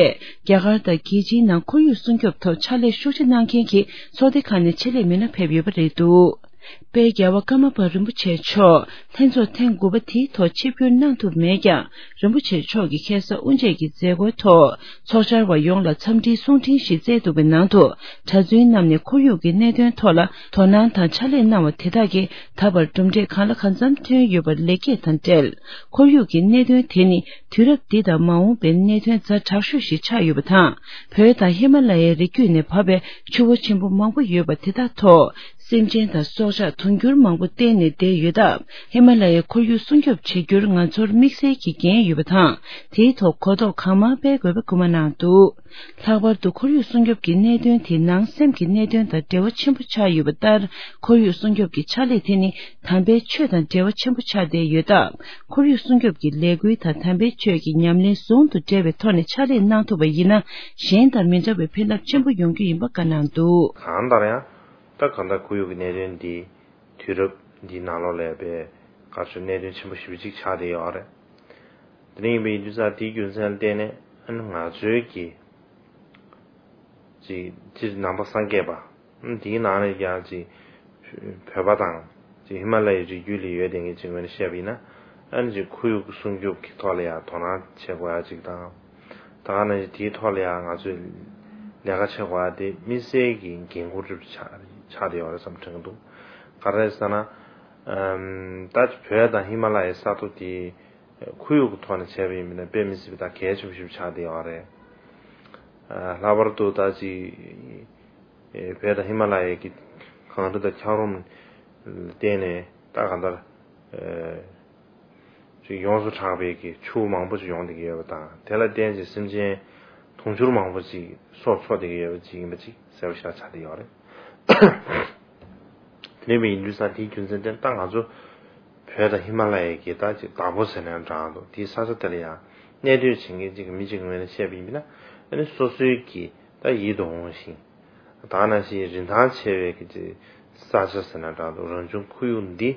རྒྱ་གར་དང་རྒྱལ་སྤྱིའི་ནང་ཁོར་ཡུག་སྲུང་སྐྱོབ་ཐོག་ཕྱག་ལས་ཤུགས་ཆེ་གནང་མཁན་གྱི་ཚོགས་སྡེ་ཁག་ནས་ཆེད་ལས་མི་སྣ་ཕེབས་ཡོད་པ་རེད་འདུག། དཔལ་རྒྱལ་བ་ཀརྨ་པ་རིན་པོ་ཆེ་མཆོག་ལྷན་ཚོགས་ཐེངས་དགུ་པ་དེའི་ཐོག་ཆིབས་བསྒྱུར་གནང་ཐུབ་མེད་ཀྱང་། རིན་པོ་ཆེ་མཆོག་གིས་ཁ་སང་དབུ་འབྱེད་ཀྱི་མཛད་སྒོའི་ཐོག་ཚོགས་བཅར་བ་ཡོངས་ལ་འཚམས་འདྲིའི་གསུང་འཕྲིན་ཞིག་བསྩལ་འདུག་པའི་ནང་དུ། གྲྭ་བཙུན་རྣམས་ནས་ཁོར་ཡུག་གི་གནད་དོན་ཐོག་ལ་དོ་སྣང་དང་ཕྱག་ལས་གནང་བ་དེ་དག་གིས་ད་བར་གྲུབ་འབྲས་གང་ལ་གང་འཚམ་ཐོན་ཡོད་པར་ལེགས་སྐྱེས་དང་འབྲེལ། ཁོར་ཡུག་གི་གནད་དོན་དེ་ནི་དུས་རབས་འདི་དང་མ་འོངས་པའི་གནད་དོན་ཛ་དྲག་ཤོས་ཤིག་ཆགས་ཡོད་པ་དང་། བོད་དང་ཧི་མ་ལ་ཡའི་རི་རྒྱུད་ནས་བབས་པའི་ཆུ་བོ་ཆེན་པོ་མང་པོ་ཡོད་པ་དེ་དག་ཐོག་སེམས་ཅན་དང་སྲོག་ཆགས་དུང་འགྱུར་མང་པོ་གཏན་ནས་བསྡད་ཡོད་སྟབས། ཧི་མ་ལ་ཡའི་ཁོར་ཡུག་སྲུང་སྐྱོབ་བྱེད་རྒྱུར་ང་ཚོར་དམིགས་བསལ་གྱི་འགན་ཡོད་པ་དང་། དེའི་ཐོག་གོ་རྟོགས་གང་མང་སྤེལ་དགོས་པའི་སྐུལ་མ་གནང་འདུག། ལྷག་པར་དུ་ཁོར་ཡུག་སྲུང་སྐྱོབ་ཀྱི་གནད་དོན་དེ་ནང་སེམས་ཀྱི་གནད་དོན་དང་འབྲེལ་བ་ཆེན་པོ་ཆགས་ཡོད་པ་ལྟར། ཁོར་ཡུག་སྲུང་སྐྱོབ་ཀྱི་ཕྱག་ལས་དེ་ནི་དམ་པའི་ཆོས་དང་འབྲེལ་བ་ཆེན་པོ་ཆགས་བསྡད་ཡོད་སྟབས། ཁོར་ཡུག་སྲུང་སྐྱོབ་ཀྱི་ལས་འགུལ་དང་དམ་པའི་ཆོས་ཀྱི་ཉམས་ལེན་ཟུང་དུ་འབྲེལ་བའི་ཐོག་ནས་ཕྱག་ལས་གནང་ཐུབ་པ་ཡིན་ན། གཞན་དང་མི་འདྲ་བའི་ཕན་རླབས་ཆེན་པོ་ཡོང་རྒྱུ་ཡིན་པ་བཀའ་གནང་འདུག། གང་ལྟར་ཡང་། ད་གང་ལྟར་ཁོར་ཡུག་གི་གནད་དོན་འདི་དུས་རབས་འདིའི་ནང་ལོགས་ལ་ཡང་དཔེ་ག་ཚོད་གནད་དོན་ཆེན་པོ་ཞེ་པོ་ཅིག་ཆགས་བསྡད་ཡོད་རེད། དེ་འདྲ་ཡིན་པ་ཡིན་དུས་ཙང་དེའི་རྒྱུ་མཚན་ལ་བརྟེན་ནས་ཨ་ནི་ང་ཚོའི་གི་ཅིག་སྤྱིར་ནང་པ་སངས་རྒྱས་པ། ཨ་ནི་དེའི་ནང་ནས་ཀྱང་ཅིག་བོད་པ་དང་ཅིག་ཧི་མ་ལ་ཡའི་རི་རྒྱུད་ལ་ཡོད་བསྡད་མཁན་ཅིག་ངོས་ནས་བཤད་པ་ཡིན་ན། ཨ་ནི་ཅིག་ཁོར་ཡུག་སྲུང་སྐྱོབ་ཀྱི་ཐོག་ལ་ཡང་དོ་སྣང་བྱེད་དགོས་ཡ་ཅིག་དང་། ད་ག་ནང་བཞིན་དེའི་ཐོག་ལ་ཡང་ང་ཚོས་ལས་ཀ་བྱེད་དགོས་ཡ་དེ་དམིགས་བསལ་གྱི་འགན་ཁུར་ཆགས་ཆགས་བསྡད་ཡོད་རེད་བསམ་དྲན་གྱི་འདུག། ག་རེ་ཟེར་ན། ཨམ། ད་བོད་དང་ཧི་མ་ལ་ཡའི་ས་མཐོ་དེ་ཁོར་ཡུག་གི་ཐོག་ནས་བྱས་པ་ཡིན་ན་དཔེ་མི་སྲིད་པའི་ད་གལ་ཆེན་པོ་ཞིག་ཆགས་བསྡད་ཡོད་རེད། ཨ། ལྷག་པར་དུ་ད་ཅིག་ཨེ། བོད་དང་ཧི་མ་ལ་ཡའི་གི་གངས་རི་དང་འཁྱགས་རོམ་ལ་བརྟེན་ནས་ད་གང་ལྟར་ཨེ། ཅིག་ཡོངས་སུ་གྲགས་པའི་གི་ཆུ་མང་པོ་ཅིག་ཡོང་བསྡད་ཀྱི་ཡོད་པ་དང་། དེ་ལ་བརྟེན་ཅིང་སེམས་ཅན་དུང་ཕྱུར་མང་པོ་ཅིག་སྲོག་འཚོ་བསྡད་ཀྱི་ཡོད་པ་ཅིག་ཡིན་པ་ཅིག་གསལ་པོ་ཞེ་དྲག་ཆགས་བསྡད་ཡོད་རེད། དེ་འདྲ་ཡིན་དུས་ཙང་དེའི་རྒྱུ་མཚན་དེ་ད་ང་ཚོ་བོད་དང་ཧི་མ་ལ་ཡའི་གི་ད་ཅིག་བདག་པོ་ཟེར་ན་འདྲ་འདུག། དེའི་ས་ཆ་དེ་ལ་ཡང་གནས་སྡོད་བྱེད་མཁན་ཅིག་གི་མི་ཅིག་ངོས་ནས་བཤད་པ་ཡིན་ན། ཨ་ནི་སོ་སོའི་གི་ད་ཡིད་དུ་འོང་ཞིང་། ད་ག་ནང་བཞིན་རིན་ཐང་ཆེ་བའི་གི་ཅིག་ས་ཆ་ཟེར་ན་འདྲ་འདུག། རང་བྱུང་ཁོར་ཡུག་འདི་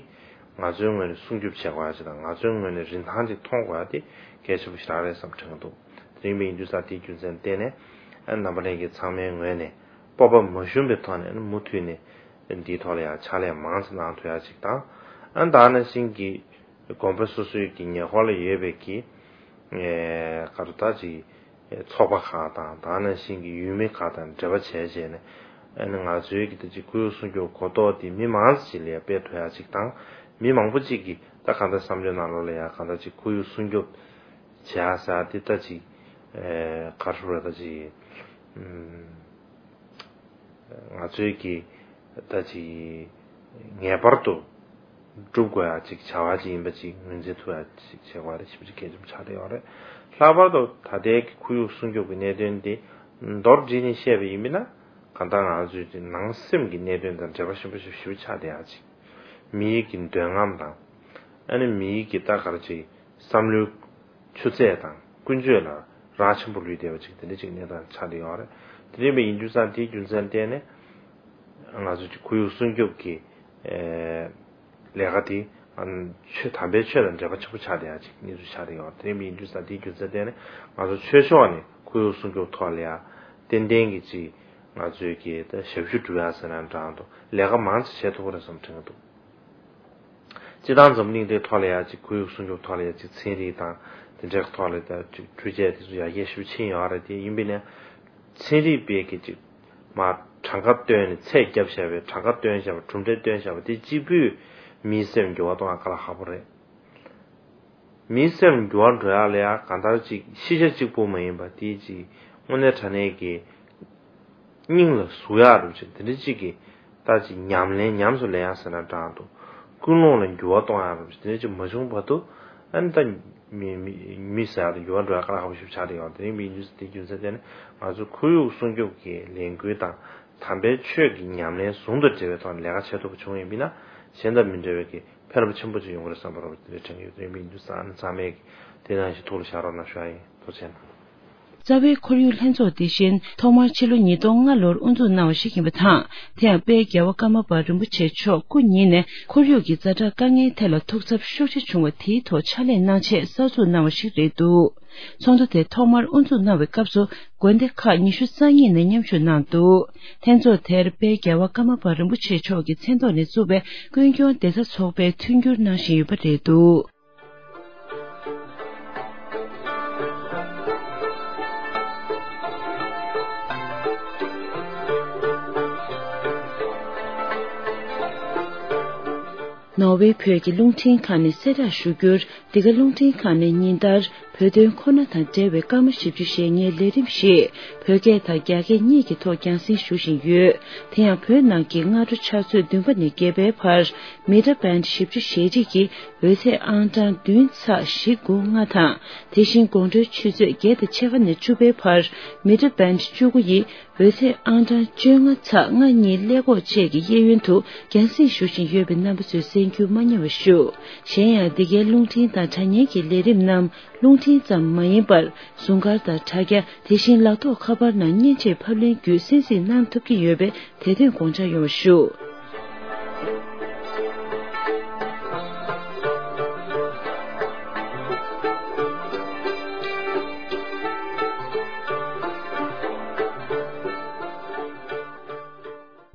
ང་ཚོའི་ངོས་ནས་སྲུང་སྐྱོབ་བྱེད་དགོས་ཡ་ཅིག་དང་། ང་ཚོའི་ངོས་ནས་རིན་ཐང་ཅིག་མཐོང་དགོས་ཡ་དེ་ གལ་ཆེན་པོ་ཞིག་རང་རེད་བསམ་དྲན་གྱི་འདུག་དེ་ཡིན་པ་ཡིན་དུས་ཙང་དེའི་རྒྱུ་མཚན་བརྟེན་ནས་ཨ་རྣམ་པ་ལྷན་རྒྱས་ཚང་མའི་ངོས་ནས་སྤོབས་པ་མ་ཞུམ་པའི་ཐོག་ནས་མུ་མཐུད་ནས་འདིའི་ཐོག་ལ་ཡང་ཕྱག་ལས་མང་ཙམ་གནང་ཐུབ་ཡ་ཅིག་དང་། ཨ་ད་ནང་བཞིན་གྱི་དགོན་པ་སོ་སོའི་གི་ཉེ་འཁོར་ལ་ཡོད་པའི་གི་ཨེ་ག་རེ་ད་ཅིག་ཚོགས་པ་ཁག་དང་ད་ནང་བཞིན་གྱི་ཡུལ་མི་ཁག་དང་འབྲེལ་བ་བྱས་བྱས་ནས་ཨ་ནི་ང་ཚོའི་གི་ད་ཅིག་ཁོར་ཡུག་སྲུང་སྐྱོབ་གོ་རྟོགས་དེ་མི་མང་ཙམ་ཞིག་ལ་ཡང་སྤེལ་ཐུབ་ཡ་ཅིག་དང་། མི་མང་པོ་ཅིག་གིས་ད་གང་ལྟར་བསམ་བློའི་ནང་ལོགས་ལ་ཡང་གང་ལྟར་ཅིག་ཁོར་ཡུག་སྲུང་སྐྱོབ་བྱེད་ཡ་ཟེར་ཡ་དེ་ད་ཅིག་ཨེ་ག་རེ་ཟེར་དགོས་རེད། ད་ཅིག་ཨུམ། ང་ཚོའི་གི་ད་ཅིག་ངེས་པར་དུ་སྒྲུབ་དགོས་ཡ་ཅིག་བྱ་བ་ཅིག་ཡིན་པ་ཅིག་ངོས་འཛིན་ཐུབ་ཡ་ཅིག་བྱེད་དགོས་རེད། ཞེ་པོ་ཅིག་གལ་ཆེན་པོ་ཆགས་བསྡད་ཡོད་རེད། ལྷག་པར་དུ་ད་ལྟའི་གི་ཁོར་ཡུག་སྲུང་སྐྱོབ་ཀྱི་གནད་དོན་འདི་མདོར་བསྡུས་ནས་བཤད་པ་ཡིན་པ་ན་གང་ལྟར་ང་ཚོའི་ཅིག་ནང་སེམས་ཀྱི་གནད་དོན་དང་འབྲེལ་བ་ཆེན་པོ་ཞེ་པོ་ཆགས་བསྡད་ཡ་ཅིག་མིའི་གི་འདོད་རྔམ་དང་ཨ་ནི་མིའི་གི་ད་ག་རེ་ཅིག་བསམ་བློའི་ཆུ་ཚད་དང་ཀུན་སྤྱོད་ལ་རག་ཆེན་པོ་ལུས་བསྡད་པ་ཅིག་དེ་འདྲ་ཅིག་གནས་སྟངས་ཆགས་བསྡད་ཡོད་རེད། དེ་འདྲ་ཡིན་པ་ཡིན་དུས་ཙང་དེའི་རྒྱུ་མཚན་བརྟེན་ནས་ང་ཚོ་ཅིག་ཁོར་ཡུག་སྲུང་སྐྱོབ་ཀྱི་ཨེ་ལས་ཀ་དེ་ཨ་ཆོས་དམ་པའི་ཆོས་དང་འབྲེལ་བ་ཆེན་པོ་ཆགས་བསྡད་ཡ་ཅིག་གནས་ཚུལ་ཆགས་བསྡད་ཡོད་རེད། དེ་འདྲ་ཡིན་པ་ཡིན་དུས་ཙང་དེའི་རྒྱུ་མཚན་བརྟེན་ནས་ང་ཚོ་ཆོས་ཕྱོགས་ནས་ཁོར་ཡུག་སྲུང་སྐྱོབ་ཐོག་ལ་ཡ་ཏན་ཏན་གྱི་ཅིག་ང་ཚོའི་གི་ད་ཞབས་ཞུ་སྒྲུབ་ཡ་ཟེར་ན་འདྲ་འདུག་ལས་ཀ་མང་ཙམ་བྱེད་ཐུབ་ཀྱི་རེད་བསམ་དྲན་གྱི་འདུག་སྤྱིར་བཏང་འཛམ་གླིང་འདིའི་ཐོག་ལ་ཡ་ཅིག་ཁོར་ཡུག་སྲུང་སྐྱོབ་ཐོག་ལ་ཡ་ཅིག་ཚན་རིག་དང་དེ་འདྲའི་ཐོག་ལ་ཡ་ཅིག་འཕྲུལ་ཆས་དེ་ཚོ་ཡར་རྒྱས་ཞེ་པོ་ཕྱིན་ཡོད་རེད། དེ་ཡིན་པས་ན་ཚན་རིག་པས་ཀྱི་ཅིག་མར་གྲངས་ཀ་བཏོན་ནས་ཚད་བརྒྱབ་བཞག་པའི་གྲངས་ཀ་བཏོན་བཞག་པ་གྲུབ་འབྲས་བཏོན་བཞག་པ་དེ་གཅིག་པུས་མིའི་སེམས་འགྱུར་བ་གཏོང་ཡ་དཀའ་ལས་ཁག་པོ་རེད། མིའི་སེམས་འགྱུར་བ་འགྲོ་ཡག་ལ་ཡང་གང་ལྟར་ཅིག་ཤེས་བྱ་གཅིག་པུ་མ་ཡིན་པ་དེ་ཅིག་དངོས་གནས་དྲང་གནས་ཀྱི་སྙིང་ལ་ཟུག་ཡག་རུ་ཅིག་དེ་འདྲ་ཅིག་གི་ད་ཅིག་ཉམས་ལེན་ཉམས་སུ་ལེན་ཡག་ཟེར་ན་འདྲ་འདུག་ཀུན་སློང་ལ་འགྱུར་བ་གཏོང་ཡག་རུ་ཅིག་དེ་འདྲ་ཅིག་མ་བྱུང་བར་དུ་ཨ་ནི་ད་མི་མི་མི་ཟེར་ཡག་དང་འགྱུར་བ་འགྲོ་ཡག་དཀའ་ལས་ཁག་པོ་ཞིག་ཆགས་བསྡད་ཡོད་རེད། དེ་ཡིན་པའི་རྒྱུ་མཚན་དེ་རྒྱུ་མཚན་དེ་ནི་ང་ཚོ་ཁོར་ཡུག་སྲུང་སྐྱོབ་ཀྱི་ལས་འགུལ་དང་དམ་པའི་ཆོས་ཀྱི་ཉམས་ལེན་ཟུང་དུ་འབྲེལ་བའི་ཐོག་ནས་ལས་ཀ་བྱེད་ཐུབ་པ་བྱུང་ཡིན་པས་ན་གཞན་དང་མི་འབྲལ་བའི་གི་ཕན་རླབས་ཆེན་པོ་ཅིག་ཡོང་གི་རེད་བསམ་པ་རོ་དེ་འདྲའི་དྲན་གྱི་ཡོད། དེ་མིན་དུ་ས་ཨ་ནི་ཚང་མས་དེ་ནང་བཞིན་ཐུགས་ལ་བཞག་རོགས་གནང་ཞུ་ཡ་ཡིན། ཐུགས་རྗེ་གནང་། རྩ་བའི་ཁོར་ཡུག་ལྷན་ཚོགས་དེ་བཞིན་ཐོག་མར་ཕྱི་ལོ་ཉིས་སྟོང་ལྔ་ལོར་དབུ་འཛུགས་གནང་བ་ཞིག་ཡིན་པ་དང་། དེ་ཡང་དཔལ་རྒྱལ་བ་ཀརྨ་པ་རིན་པོ་ཆེ་མཆོག་སྐུ་ཉིད་ནས་ཁོར་ཡུག་གི་ཛ་དྲག་དཀའ་ངལ་ཐད་ལ་ཐུགས་འཚབ་ཤུགས་ཆེ་བྱུང་བ་དེའི་ཐོག་ཕྱག་ལས་གནང་ཆེད་གསར་འཛུགས་གནང་བ་ཞིག་རེད་འདུག་ཚོགས་འདུ་དེ་ཐོག་མར་དབུ་འཛུགས་གནང་བའི་སྐབས་སུ་དགོན་སྡེ་ཁག་ཉི་ཤུ་རྩ་གཉིས་ནས་མཉམ་ཞུགས་གནང་འདུག་ལྷན་ཚོགས་དེར་དཔལ་རྒྱལ་བ་ཀརྨ་པ་རིན་པོ་ཆེ་མཆོག་གི་མཚན་ཐོག་ནས་བཙུགས་པའི་ཀུན་སྐྱོང་བདེ་རྩ་ཚོགས་པས་མཐུན་འགྱུར་གནང་བཞིན་ཡོད་པ་རེད་འདུག་ནོར་ཝེ་བོད་ཀྱི་རླུང་འཕྲིན་ཁང་ནས་གསལ་བསྒྲགས་ཞུ་རྒྱུར། འདི་ག་རླུང་འཕྲིན་ཁང་ནས་ཉིན་ལྟར་བོད་དོན་ཁོ་ན་དང་འབྲེལ་བའི་སྐར་མ་བཞི་བཅུ་ཞེ་ལྔའི་ལས་རིམ་ཞིག་བོད་སྐད་དང་རྒྱ་སྐད་གཉིས་ཀྱི་ཐོག་རྒྱང་སྲིང་ཞུ་བཞིན་ཡོད། དེ་ཡང་བོད་ནང་གི་སྔ་དྲོ་ཆུ་ཚོད་བདུན་པ་ནས་བརྒྱད་པའི་བར། མི་ཊར་བེན་ཌི་བཞི་བཅུ་ཞེ་གཅིག་གི་འོད་ཚད་ཨང་གྲངས་བདུན་ཚེག་བཞི་དགུ་ལྔ་དང་། དེ་བཞིན་དགོང་དྲོའི་ཆུ་ཚོད་བརྒྱད་དང་ཕྱེད་ཀ་ནས་བཅུ་པའི་བར། མི་ཊར་བེན་ཌི་བཅུ་དགུ་ཡི་འོད་ཚད་ཨང་གྲངས་བཅོ་ལྔ་ཚེག་ལྔ་གཉིས་ཀླད་ཀོར་བཅས་ཀྱི་གཡས་གཡོན་དུ་རྒྱང་སྲིང་ཞུ་བཞིན་ཡོད་པའི་རྣམ་པ་ཚོས་གསན་རྒྱུ་མ་བསྙེལ་བ་ཞུ། གཞན་ཡང་འདི་གའི་རླུང་འཕྲིན་དང་དྲ་བརྙན་གྱི་ལས་རིམ་རྣམས་རླུང་འཕྲིན་ཙམ་མ་ཡིན་པར། ཟུང་སྐར་དང་དྲ་རྒྱ། དེ་བཞིན་ལག་ཐོགས་ཁ་པར་ནང་མཉེན་ཆས་ཕབ་ལེན་བརྒྱུད་གསན་གཟིགས་གནང་ཐུབ་ཀྱི་ཡོད་པས་དེ་དོན་དགོངས་འཇགས་ཡོང་བ་ཞུ།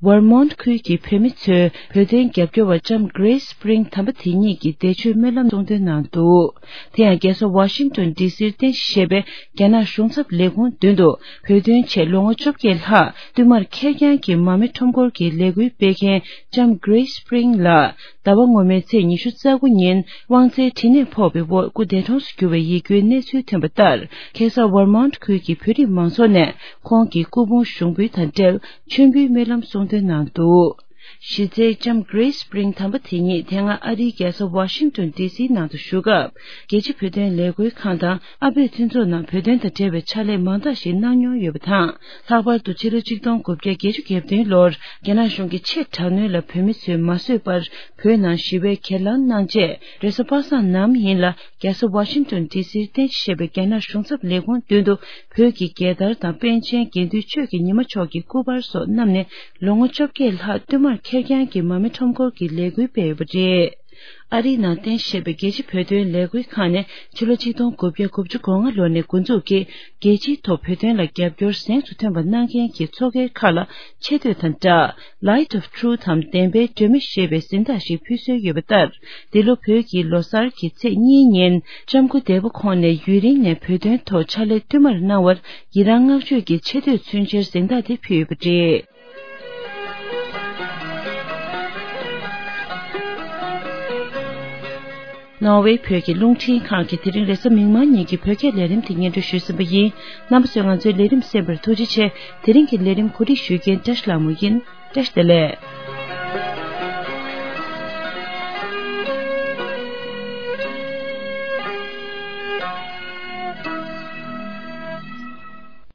ཝར་མོན་ཊི་ཁུལ་གྱི་བོད་མི་ཚོས་བོད་དོན་རྒྱབ་སྐྱོར་བ་ལྕམ་Grace Spring དམ་པ་དེ་ཉིད་ཀྱི་བདེ་སྤྱོད་སྨོན་ལམ་གསུང་འདོན་གནང་འདུག་དེ་ཡང་རྒྱལ་ས་ཝ་ཤིང་ཏོན་ཌི་སིར་རྟེན་གཞི་བྱས་པའི་རྒྱ་ནག་གཞུང་ཚབ་ལས་ཁུངས་མདུན་དུ་བོད་དོན་ཆེད་ལོ་ངོ་བཅོ་བརྒྱད་ལྷག་བསྟུད་མར་ཁེར་རྐྱང་གི་མ་རྨོས་ཁྲོམ་སྐོར་གྱི་ལས་འགུལ་སྤེལ་མཁན་ལྕམ་Grace Spring ལགས་ཟླ་བ་སྔོན་མའི་ཚེས་ཉི་ཤུ་རྩ་དགུ་ཉིན་དབང་རྩའི་གྲིབ་ནད་ཕོག་པའི་འོག་སྐུ་འདས་གྲོངས་སུ་གྱུར་བའི་ཡིད་སྐྱོའི་གནས་ཚུལ་ཐོན་པ་ལྟར། ཁ་སང་ཝར་མོན་ཊི་ཁུལ་གྱི་བོད་རིགས་མང་ཚོགས་ནས་ཁོང་གི་སྐུ་ཕུང་ཞུགས་འབུལ་དང་འབྲེལ་མཆོད་འབུལ་སྨོན་ལམ་གསུང་འདོན་གནང་འདུག་གཞི་རྩའི་ལྕམ་Grace Spring དམ་པ་དེ་ཉིད་དེ་སྔ་ཨ་རིའི་རྒྱལ་ས་ཝ་ཤིང་ཏོན་ཌི་སིའི་ནང་དུ་བཞུགས་སྐབས། རྒྱལ་སྤྱི་བོད་དོན་ལས་འགུལ་ཁང་དང་ཨ་བོད་མཐུན་ཚོགས་ནང་བོད་དོན་དང་འབྲེལ་བའི་ཕྱག་ལས་མང་དག་ཞིག་གནང་མྱོང་ཡོད་པ་དང་། ལྷག་པར་དུ་ཕྱི་ལོ་ཆིག་སྟོང་དགུ་བརྒྱ་བརྒྱད་ཅུ་གྱ་བདུན་ལོར་རྒྱ་ནག་གཞུང་གིས་ཆེས་དྲག་གནོན་ལ་བོད་མི་ཚོས་མ་བཟོད་པར། བོད་ནང་ཞི་བའི་གྱེན་ལངས་གནང་རྗེས། རེས་གཟའ་པ་སངས་ནམ་ཡིན་ལ། རྒྱལ་ས་ཝ་ཤིང་ཏོན་ཌི་སིར་རྟེན་གཞི་བྱས་པའི་རྒྱ་ནག་གཞུང་ཚབ་ལས་ཁུངས་མདུན་དུ། བོད་ཀྱི་རྒྱལ་དར་དང་པཎ་ཆེན་དགེ་འདུན་ཆོས་ཀྱི་ཉི་མ་མཆོག་གི་སྐུ་པར་སོགས་བསྣམས་ནས། ལོ་ངོ་བཅོ་བརྒྱད་ལྷག་བསྟུད་མར་ཁེར་རྐྱང་གི་མ་རྨོས་ཁྲོམ་སྐོར་གྱི་ལས་འགུལ་སྤེལ་ཡོད་པ་རེད། ཨ་རིའི་ནང་རྟེན་གཞི་བྱས་པའི་རྒྱལ་སྤྱིའི་བོད་དོན་ལས་འགུལ་ཁང་ནས་ཕྱི་ལོ་ཆིག་སྟོང་དགུ་བརྒྱ་དགུ་བཅུ་གོ་ལྔ་ལོ་ནས་འགོ་འཛུགས་ཀྱིས་རྒྱལ་སྤྱིའི་ཐོག་བོད་དོན་ལ་རྒྱབ་སྐྱོར་གཟེངས་སུ་ཐོན་པ་གནང་མཁན་གྱི་ཚོགས་སྒེར་ཁག་ལ་ཆེ་བསྟོད་དང་སྦྲགས། Light of Truth འམ་བདེན་པའི་སྒྲོན་མེ་ཞེས་པའི་གཟེངས་རྟགས་ཤིག་ཕུལ་སྲོལ་ཡོད་པ་ལྟར། འདི་ལོ་བོད་ཀྱི་ལོ་གསར་གྱི་ཚེས་གཉིས་ཉིན་ལྕམ་སྐུ་འདས་པོ་ཁོང་ནས་ཡུན་རིང་ནས་བོད་དོན་ཐོག་ཕྱག་ལས་བསྟུད་མར་གནང་བར་ཡི་རང་བསྔགས་བརྗོད་ཀྱི་ཆེ་བསྟོད་མཚོན་ཕྱིར་གཟེངས་རྟགས་དེ་ཕུལ་ཡོད་པ་རེད། ནོར་ཝེ་བོད་ཀྱི་རླུང་འཕྲིན་ཁང་གིས་དེ་རིང་རེས་གཟའ་མིག་དམར་ཉིན་གྱི་བོད་སྐད་ལས་རིམ་དེ་སྙན་སྒྲོན་ཞུས་ཟིན་པ་ཡིན། རྣམ་པ་ཚོས་ང་ཚོའི་ལས་རིམ་གསན་པར་ཐུགས་རྗེ་ཆེ། དེ་རིང་གི་ལས་རིམ་གོ་སྒྲིག་ཞུ་མཁན་བཀྲ་ཤིས་ལྷ་མོ་ཡིན། བཀྲ་ཤིས་བདེ་ལེགས།